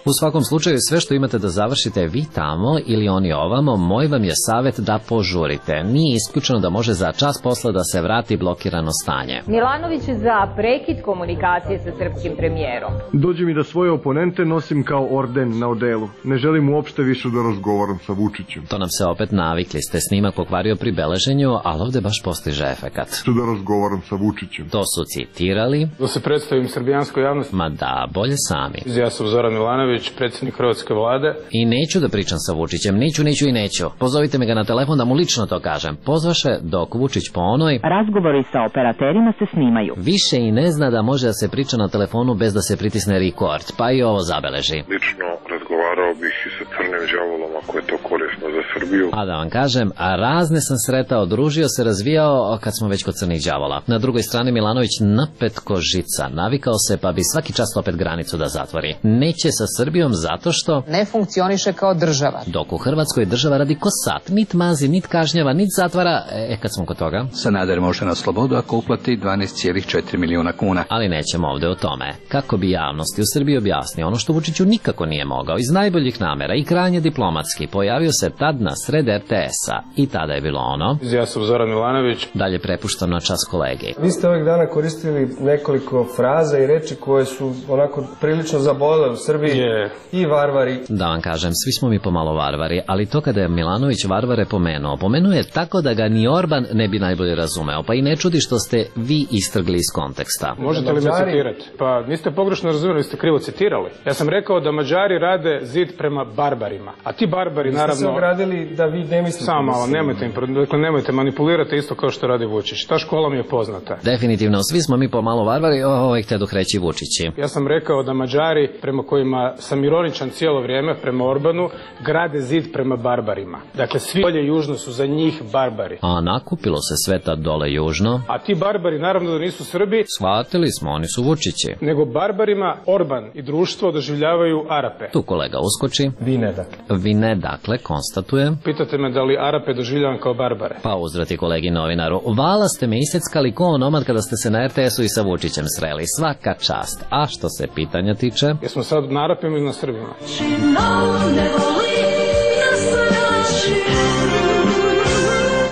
U svakom slučaju sve što imate da završite vi tamo ili oni ovamo, moj vam je savjet da požurite. Nije isključeno da može za čas posla da se vrati blokirano stanje. Milanović za prekid komunikacije sa srpskim premijerom. Dođe mi da svoje oponente nosim kao orden na odelu. Ne želim uopšte više da razgovaram sa Vučićem. To nam se opet navikli ste, snimak pokvario pri beleženju, ali ovde baš postiže efekat. Da razgovaram sa Vučićem. To su citirali. Da se predstavim srbijanskoj javnosti. Ma da, bolje sami. Ja sam Zoran Milanović, predsjednik Hrvatske vlade. I neću da pričam sa Vučićem, neću. Pozovite me ga na telefon da mu lično to kažem. Pozvaše dok Vučić po onoj... Razgovori sa operaterima se snimaju. Više i ne zna da može da se priča na telefonu bez da se pritisne record, pa i ovo zabeleži. Lično razgovarao bih i sa crnim đavolom ako je to korisno za Srbiju. A da vam kažem, razne sam sretao, družio se, razvijao kad smo već kod crnih đavola. Na drugoj strani Milanović napet ko žica, navikao se pa bi svaki čas opet granicu da zatvori. Neće sa Srbijom zato što ne funkcioniše kao država. Dok u Hrvatskoj država radi ko sat, nit mazi, nit kažnjava, nit zatvara. Kad smo kod toga, Sanader može na slobodu ako uplati 12,4 miliona kuna. Ali nećemo ovde o tome. Kako bi javnosti u Srbiji objasnio ono što Vučiću nikako nije mogao, iz najboljih namera i krajnje diplomatski, pojavio se tad na sred RTS-a i tada je bilo ono. Ja sam Zoran Milanović. Dalje prepuštam na čas kolegi. Vi ste ovih dana koristili nekoliko fraza i reči koje su onako prilično zabolele u Srbiji. I varvari. Da vam kažem, svi smo mi pomalo varvari, ali to kada je Milanović varvare pomenuo je tako da ga ni Orban ne bi najbolje razumeo, pa i ne čudi što ste vi istrgli iz konteksta. Možete li me citirati? Pa niste pogrešno razumjeli, ste krivo citirali. Ja sam rekao da Mađari rade zid prema barbarima, a ti barbari naravno... Ste se ogradili da vi ne mislite... Samo malo, nemojte manipulirati isto kao što radi Vučić. Ta škola mi je poznata. Definitivno, svi smo mi pomalo varvari, htjedoh reći Vučići. Ja sam rekao da Mađari, prema kojima sam ironičan cijelo vrijeme, prema Orbanu, grade zid prema barbarima. Dakle, svi dolje južno su za njih barbari. A nakupilo se sveta dole južno. A ti barbari naravno da nisu Srbi. Shvatili smo, oni su Vučići. Nego barbarima Orban i društvo doživljavaju Arape. Tu kolega uskoči. Vi ne, dakle, konstatuje. Pitate me da li Arape doživljavam kao barbare. Pa uzvrati kolegi novinaru. Vala ste me iseckali ko onomad kada ste se na RTS-u i sa Vučićem sreli. Svaka čast. A što se pitanja tiče? Jesmo sad na Arapima ili na Srbima?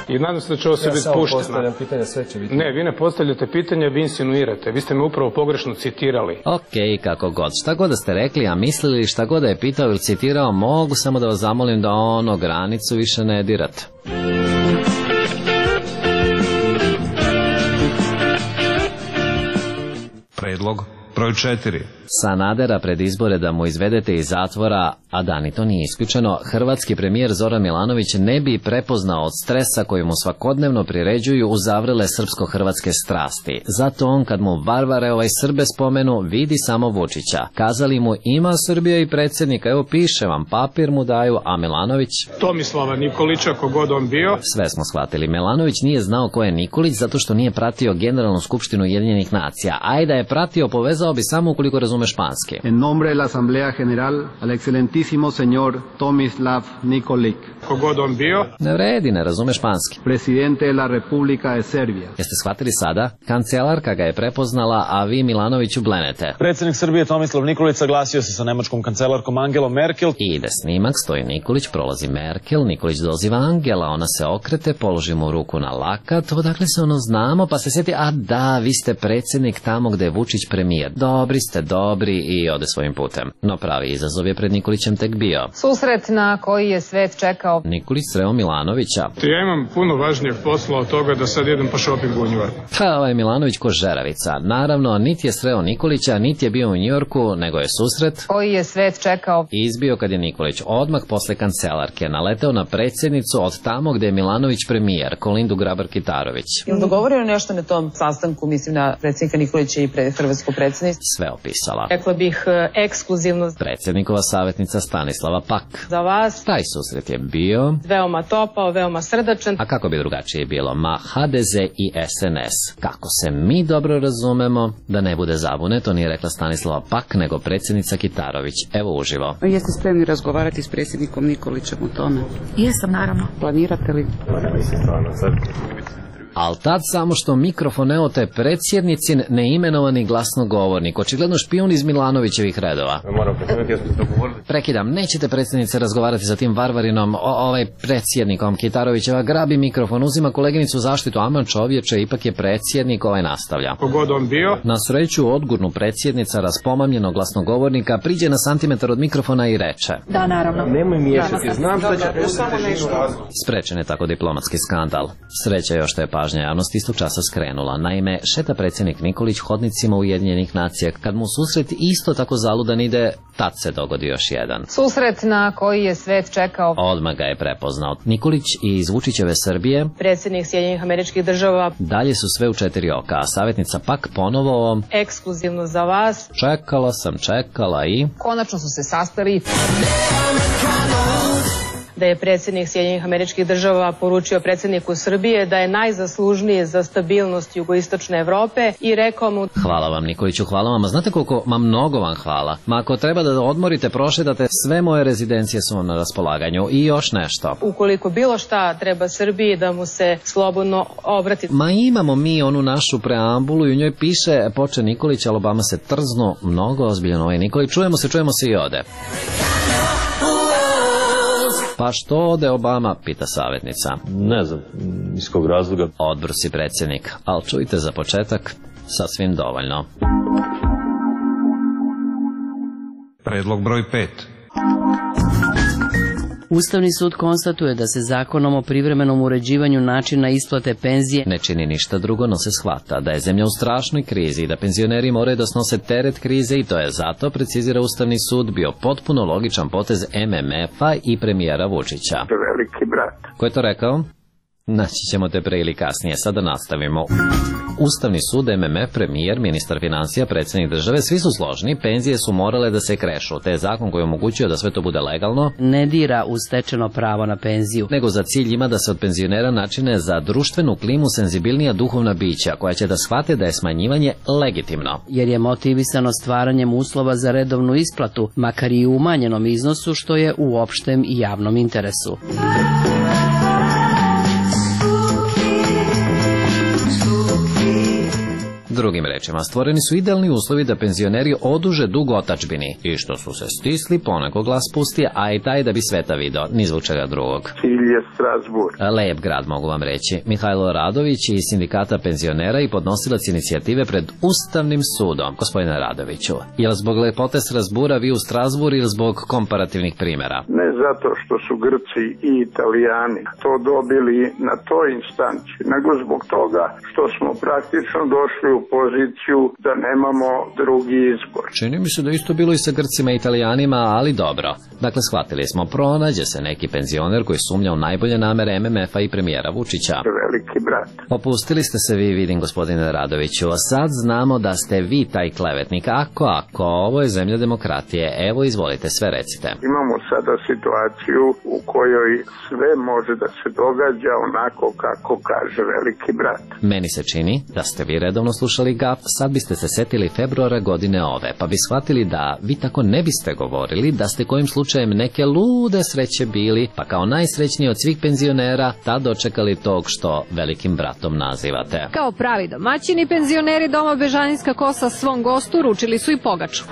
I nadam se da će ovo sve biti pušteno. Ja samo postavljam pitanja, sve će biti. Ne, vi ne postavljate pitanja, vi insinuirate. Vi ste me upravo pogrešno citirali. Okej, kako god. Šta god da ste rekli, a mislili šta god da je pitao ili citirao, mogu samo da vas zamolim da granicu više ne dirate. Predlog broj 4. Sanadera pred izbore da mu izvedete iz zatvora, a da ni to nije isključeno, hrvatski premijer Zoran Milanović ne bi prepoznao od stresa koji mu svakodnevno priređuju uzavrele srpsko-hrvatske strasti. Zato on kad mu varvare Srbe spomenu, vidi samo Vučića. Kazali mu ima Srbija i predsjednika, evo piše vam, papir mu daju, a Milanović... Tomislava Nikolića, kogod on bio. Sve smo shvatili. Milanović nije znao ko je Nikolić zato što nije pratio Generalnu skupštinu Ujedinjenih nacija. A i da je pratio, povezao bi samo ukoliko razume španski. En nombre de la Asamblea General, al excelentísimo señor Tomislav Nikolić. Kogod on bio. Ne vredi, ne razume španski. Presidente de la República de Serbia. Jeste shvatili sada? Kancelarka ga je prepoznala, a vi Milanoviću blenete. Predsjednik Srbije Tomislav Nikolić saglasio se sa nemačkom kancelarkom Angelom Merkel. I ide snimak, stoji Nikolić, prolazi Merkel, Nikolić doziva Angela, ona se okrete, položi mu ruku na lakat, odakle se znamo, pa se sjeti, a da, vi ste predsjednik tamo gde je Vučić premijer. Dobri ste, odobri i ode svojim putem. No pravi izazov je pred Nikolićem tek bio. Susret na koji je svet čekao. Nikolić sreo Milanovića. Ja imam puno važnijeg posla od toga da sad idem po šopingu u Njujorku. Ovaj Milanović ko žeravica. Naravno, niti je sreo Nikolića, niti je bio u Njujorku, nego je susret koji je svet čekao. Izbio kad je Nikolić odmah posle kancelarke naleteo na predsjednicu od tamo gde je Milanović premijer, Kolindu Grabar-Kitarović. Je li dogovorio nešto na tom sastanku, mislim na predsjednika Nikolića i hrvatsko predsjedništvo? Sve opisala. Rekla bih ekskluzivno. Predsjednikova savjetnica Stanislava Pak. Za vas. Taj susret je bio veoma topao, veoma srdačan. A kako bi drugačije bilo? Ma HDZ i SNS. Kako se mi dobro razumemo, da ne bude zabune, to nije rekla Stanislava Pak, nego predsjednica Kitarović. Evo uživo. Jeste spremni razgovarati s predsjednikom Nikolićem o tome? Jesam, naravno. Planirate li? Al tad samo što mikrofon ne ote predsjednicin neimenovani glasnogovornik, očigledno špijun iz Milanovićevih redova. Prekidam, nećete predsjednice razgovarati sa tim varvarinom, predsjednikom. Kitarovićeva grabi mikrofon, uzima koleginicu zaštitu, aman čovječe, ipak je predsjednik, nastavlja. Kogod on bio? Na sreću odgurnu predsjednica raspomamljenog glasnogovornika priđe na santimetar od mikrofona i reče: Da, naravno. Nemoj miješati, znam šta će predsjednici. Sprečen je tako diplomatski skandal. Sreća još što je pažnja javnosti istog časa skrenula. Naime, šeta predsjednik Nikolić hodnicima Ujedinjenih nacija. Kad mu susret isto tako zaludan ide, tad se dogodi još jedan. Susret na koji je svet čekao. Odmah ga je prepoznao. Nikolić iz Vučićeve Srbije, predsjednik Sjedinjenih Američkih Država. Dalje su sve u 4 oka, a savjetnica Pak ponovo ekskluzivno za vas. Čekala i konačno su se sastali. Da je predsjednik Sjedinjenih Američkih Država poručio predsjedniku Srbije da je najzaslužniji za stabilnost jugoistočne Evrope i rekao mu: Hvala vam Nikoliću, hvala vam, a znate koliko, mnogo vam hvala. Ako treba da odmorite, prošetate, sve moje rezidencije su vam na raspolaganju i još nešto. Ukoliko bilo šta treba Srbiji, da mu se slobodno obrati. Imamo mi onu našu preambulu i u njoj piše: poče Nikolić, ali Obama se trznu, mnogo ozbiljan Nikolić, čujemo se i ode. Pa što ode Obama, pita savjetnica. Ne znam, iz kog razloga. Odbrusi predsjednik, ali čujte za početak, sasvim dovoljno. Predlog broj 5. Ustavni sud konstatuje da se zakonom o privremenom uređivanju načina isplate penzije ne čini ništa drugo, no se shvata da je zemlja u strašnoj krizi i da penzioneri moraju da snose teret krize i to je zato, precizira Ustavni sud, bio potpuno logičan potez MMF-a i premijera Vučića. Veliki brat. Ko je to rekao? Naći ćemo te pre ili kasnije, sada nastavimo. Ustavni sud, MMF, premijer, ministar financija, predsjednik države, svi su složni, penzije su morale da se krešu, te je zakon koji omogućuje da sve to bude legalno ne dira u stečeno pravo na penziju, nego za cilj ima da se od penzionera načine za društvenu klimu senzibilnija duhovna bića, koja će da shvate da je smanjivanje legitimno. Jer je motivisano stvaranjem uslova za redovnu isplatu, makar i u umanjenom iznosu, što je u opštem i javnom interesu. Drugim rečima, stvoreni su idealni uslovi da penzioneri oduže dug otadžbini i što su se stisli, poneko glas pusti, a i taj da bi sveta video, ni zbog čega drugog. Cilj je Strasburg. Lep grad, mogu vam reći. Mihajlo Radović iz sindikata penzionera i podnosilac inicijative pred Ustavnim sudom. Gospodine Radoviću, je li zbog lepote Strasbura vi u Strasbur ili zbog komparativnih primjera? Ne zato što su Grci i Italijani to dobili na toj instanci, nego zbog toga što smo praktično došli u poziciju da nemamo drugi izbor. Čini mi se da isto bilo i sa Grcima i Italijanima, ali dobro. Dakle, shvatili smo, pronađe se neki penzioner koji sumnja u najbolje namere MMF-a i premijera Vučića. Veliki brat. Opustili ste se vi, vidim, gospodine Radoviću, a sad znamo da ste vi taj klevetnik. Ako, ovo je zemlja demokratije, evo izvolite, sve recite. Imamo sada situaciju u kojoj sve može da se događa onako kako kaže veliki brat. Meni se čini da ste vi redovno slušali GAP, sad biste se setili februara godine ove, pa bi shvatili da vi tako ne biste govorili, da ste kojim slučajem neke lude sreće bili, pa kao najsrećniji od svih penzionera tad dočekali tog što velikim bratom nazivate. Kao pravi domaćini, penzioneri doma Bežanijska kosa svom gostu ručili su i pogaču.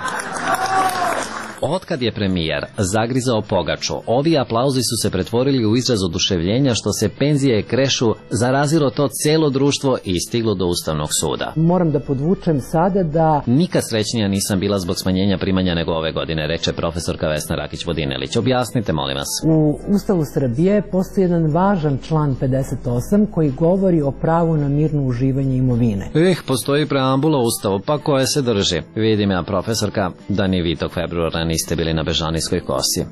Otkad je premijer zagrizao pogaču, ovi aplauzi su se pretvorili u izraz oduševljenja što se penzije krešu, zarazilo to cijelo društvo i stiglo do Ustavnog suda. Moram da podvučem sada da... Nikad srećnija nisam bila zbog smanjenja primanja nego ove godine, reče profesorka Vesna Rakić-Vodinelić. Objasnite, molim vas. U Ustavu Srbije postoji jedan važan član 58 koji govori o pravu na mirno uživanje imovine. Postoji preambula Ustavu, pa koje se drži? Vidim ja, profesorka, da ni vi tog februara niste bili na Bežanijskoj kosi.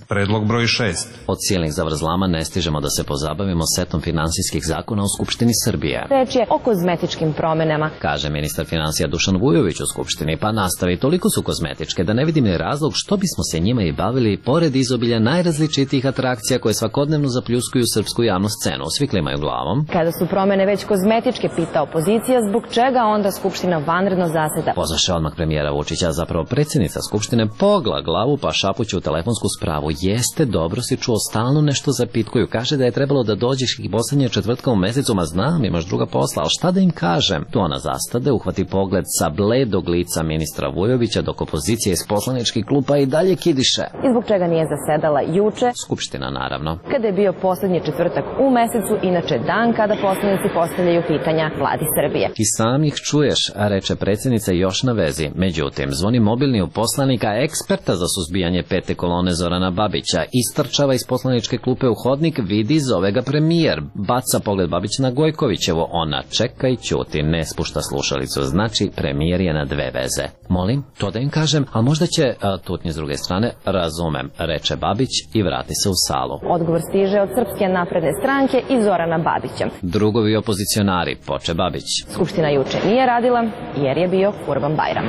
Predlog broj 6. Od silnih zavrzlama ne stižemo da se pozabavimo setom finansijskih zakona u Skupštini Srbije. Reč je o kozmetičkim promenama, kaže ministar finansija Dušan Vujović u Skupštini, pa nastavi, toliko su kozmetičke da ne vidim ni razlog što bismo se njima i bavili pored izobilja najrazličitijih atrakcija koje svakodnevno zapljuskuju srpsku javnu scenu. Svi klimaju glavom. Kada su promene već kozmetičke, pita opozicija, zbog čega onda Skupština vanredno zaseda? Pozvaše odmah premijera Vučića, zapravo predsjednica Skupštine pogla glavu pa šapuće u telefonsku spravu. Jeste, dobro si čuo, stalno nešto zapitkuju. Kaže da je trebalo da dođeš i poslednje četvrtka u mesecu, ma znam, imaš druga posla, ali šta da im kažem? Tu ona zastade, uhvati pogled sa bledog lica ministra Vujovića, dok opozicija iz poslaničkih klupa i dalje kidiše. I zbog čega nije zasedala juče? Skupština, naravno. Kada je bio poslednji četvrtak u mesecu, inače dan kada poslanici postavljaju pitanja vladi Srbije. I sam ih čuješ, reče predsjednica još na vezi. Međutim, zvoni mobilni u poslanika, eksperta za suzbijanje pete kolone Zorana Babića, istrčava iz poslaničke klupe u hodnik, vidi, zove ga premijer, baca pogled Babić na Gojkovićevo, ona čeka i ćuti, ne spušta slušalicu, znači premijer je na dve veze. Molim, to da im kažem, a možda će tutnje s druge strane, razumem, reče Babić i vrati se u salu. Odgovor stiže od Srpske napredne stranke i Zorana Babića. Drugovi opozicionari, poče Babić. Skupština juče nije radila jer je bio Kurban Bajram.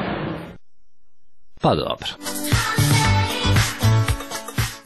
Pa dobro.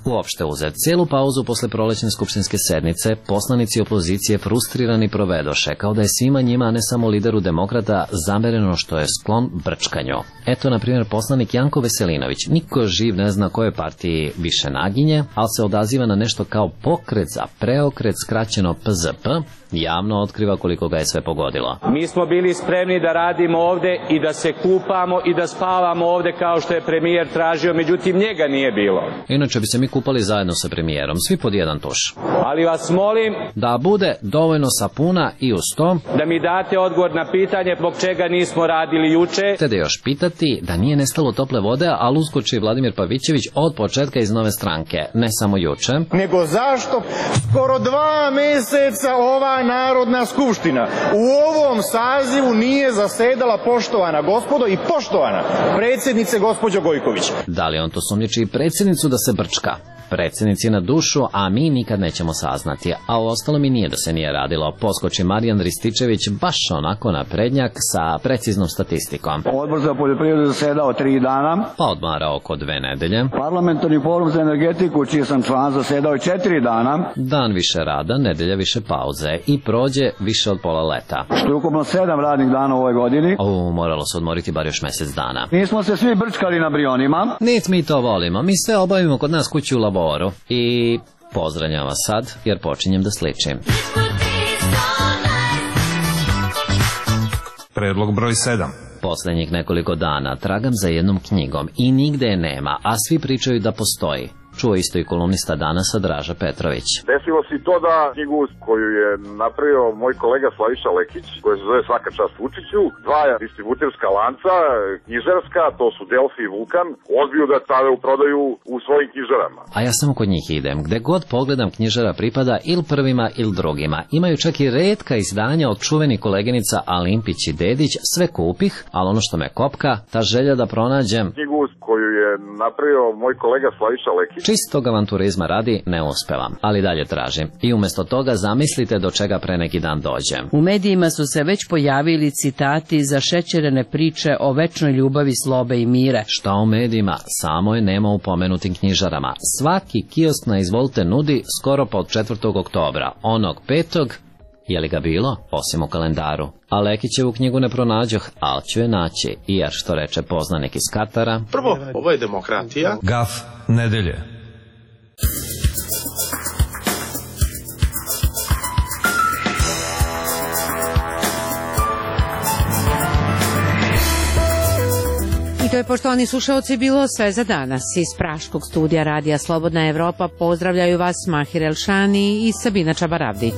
Uopšte uzet cijelu pauzu posle prolećne skupštinske sednice, poslanici opozicije frustrirani provedoše, kao da je svima njima, a ne samo lideru demokrata, zamereno što je sklon brčkanju. Eto, na primjer, poslanik Janko Veselinović, niko živ ne zna kojoj partiji više naginje, ali se odaziva na nešto kao pokret za preokret, skraćeno PZP, javno otkriva koliko ga je sve pogodilo. Mi smo bili spremni da radimo ovde i da se kupamo i da spavamo ovde kao što je premijer tražio, međutim njega nije bilo. Inače bi se mi kupali zajedno sa premijerom, svi pod jedan tuš. Ali vas molim da bude dovoljno sapuna i uz to da mi date odgovor na pitanje zbog čega nismo radili juče. Te da još pitati da nije nestalo tople vode, ali uskoči Vladimir Pavićević od početka iz Nove stranke, ne samo juče. Nego zašto skoro 2 meseca ova Narodna skupština u ovom sazivu nije zasedala, poštovana gospodo i poštovana predsjednice gospođo Gojković? Da li on to sumnjiči i predsjednicu da se brčka? Predsjednici na dušu, a mi nikad nećemo saznati, a u ostalom i nije da se nije radilo. Poskoči Marijan Rističević baš onako naprednjak sa preciznom statistikom. Odbor za poljoprivredu zasedao 3 dana. Pa odmarao oko 2 nedelje. Parlamentarni forum za energetiku, čiji sam član, zasedao 4 dana. Dan više rada, nedelja više pauze i prođe više od pola leta. Što je ukupno 7 radnih dana u ovoj godini. Moralo se odmoriti bar još mjesec dana. Nismo se svi brčkali na brionima. Nic mi to volimo, mi sve obavimo kod nas kući u laboru. I pozdravljam vas sad, jer počinjem da sličim. Predlog broj 7. Posljednjih nekoliko dana tragam za jednom knjigom i nigde je nema, a svi pričaju da postoji. Čuo isto i kolumnista Danasa Draža Petrović. Desilo se to da knjigu koju je napravio moj kolega Slaviša Lekić, koja se zove Svaka čast Vučiću, 2 distributerska lanca, knjižarska, to su Delfi i Vulkan, odbiju da stave u prodaju u svojim knjižarama. A ja samo kod njih idem. Gde god pogledam, knjižara pripada ili prvima ili drugima. Imaju čak i retka izdanja od čuveni koleginica Alimpić i Dedić, sve kupih, ali ono što me kopka, ta želja da pronađem knjigu koju je napravio moj kolega Slaviša Lekić. Čistog avanturizma radi ne uspevam, ali dalje tražim. I umjesto toga zamislite do čega pre neki dan dođem. U medijima su se već pojavili citati za šećerene priče o večnoj ljubavi, slobe i mire. Šta u medijima? Samo je nema u pomenutim knjižarama. Svaki kiosk na izvolite nudi skoro pa od 4. oktobra. Onog 5. je li ga bilo? Osim u kalendaru. A Lekićevu knjigu ne pronađoh, ali ću je naći. I jer što reče poznanik iz Katara. Prvo, ovo je demokratija. Gaf nedelje. I to je, poštovani slušaoci, bilo sve za danas. Iz Praškog studija Radija Slobodna Evropa pozdravljaju vas Mahir Elšani i Sabina Čabaravdić.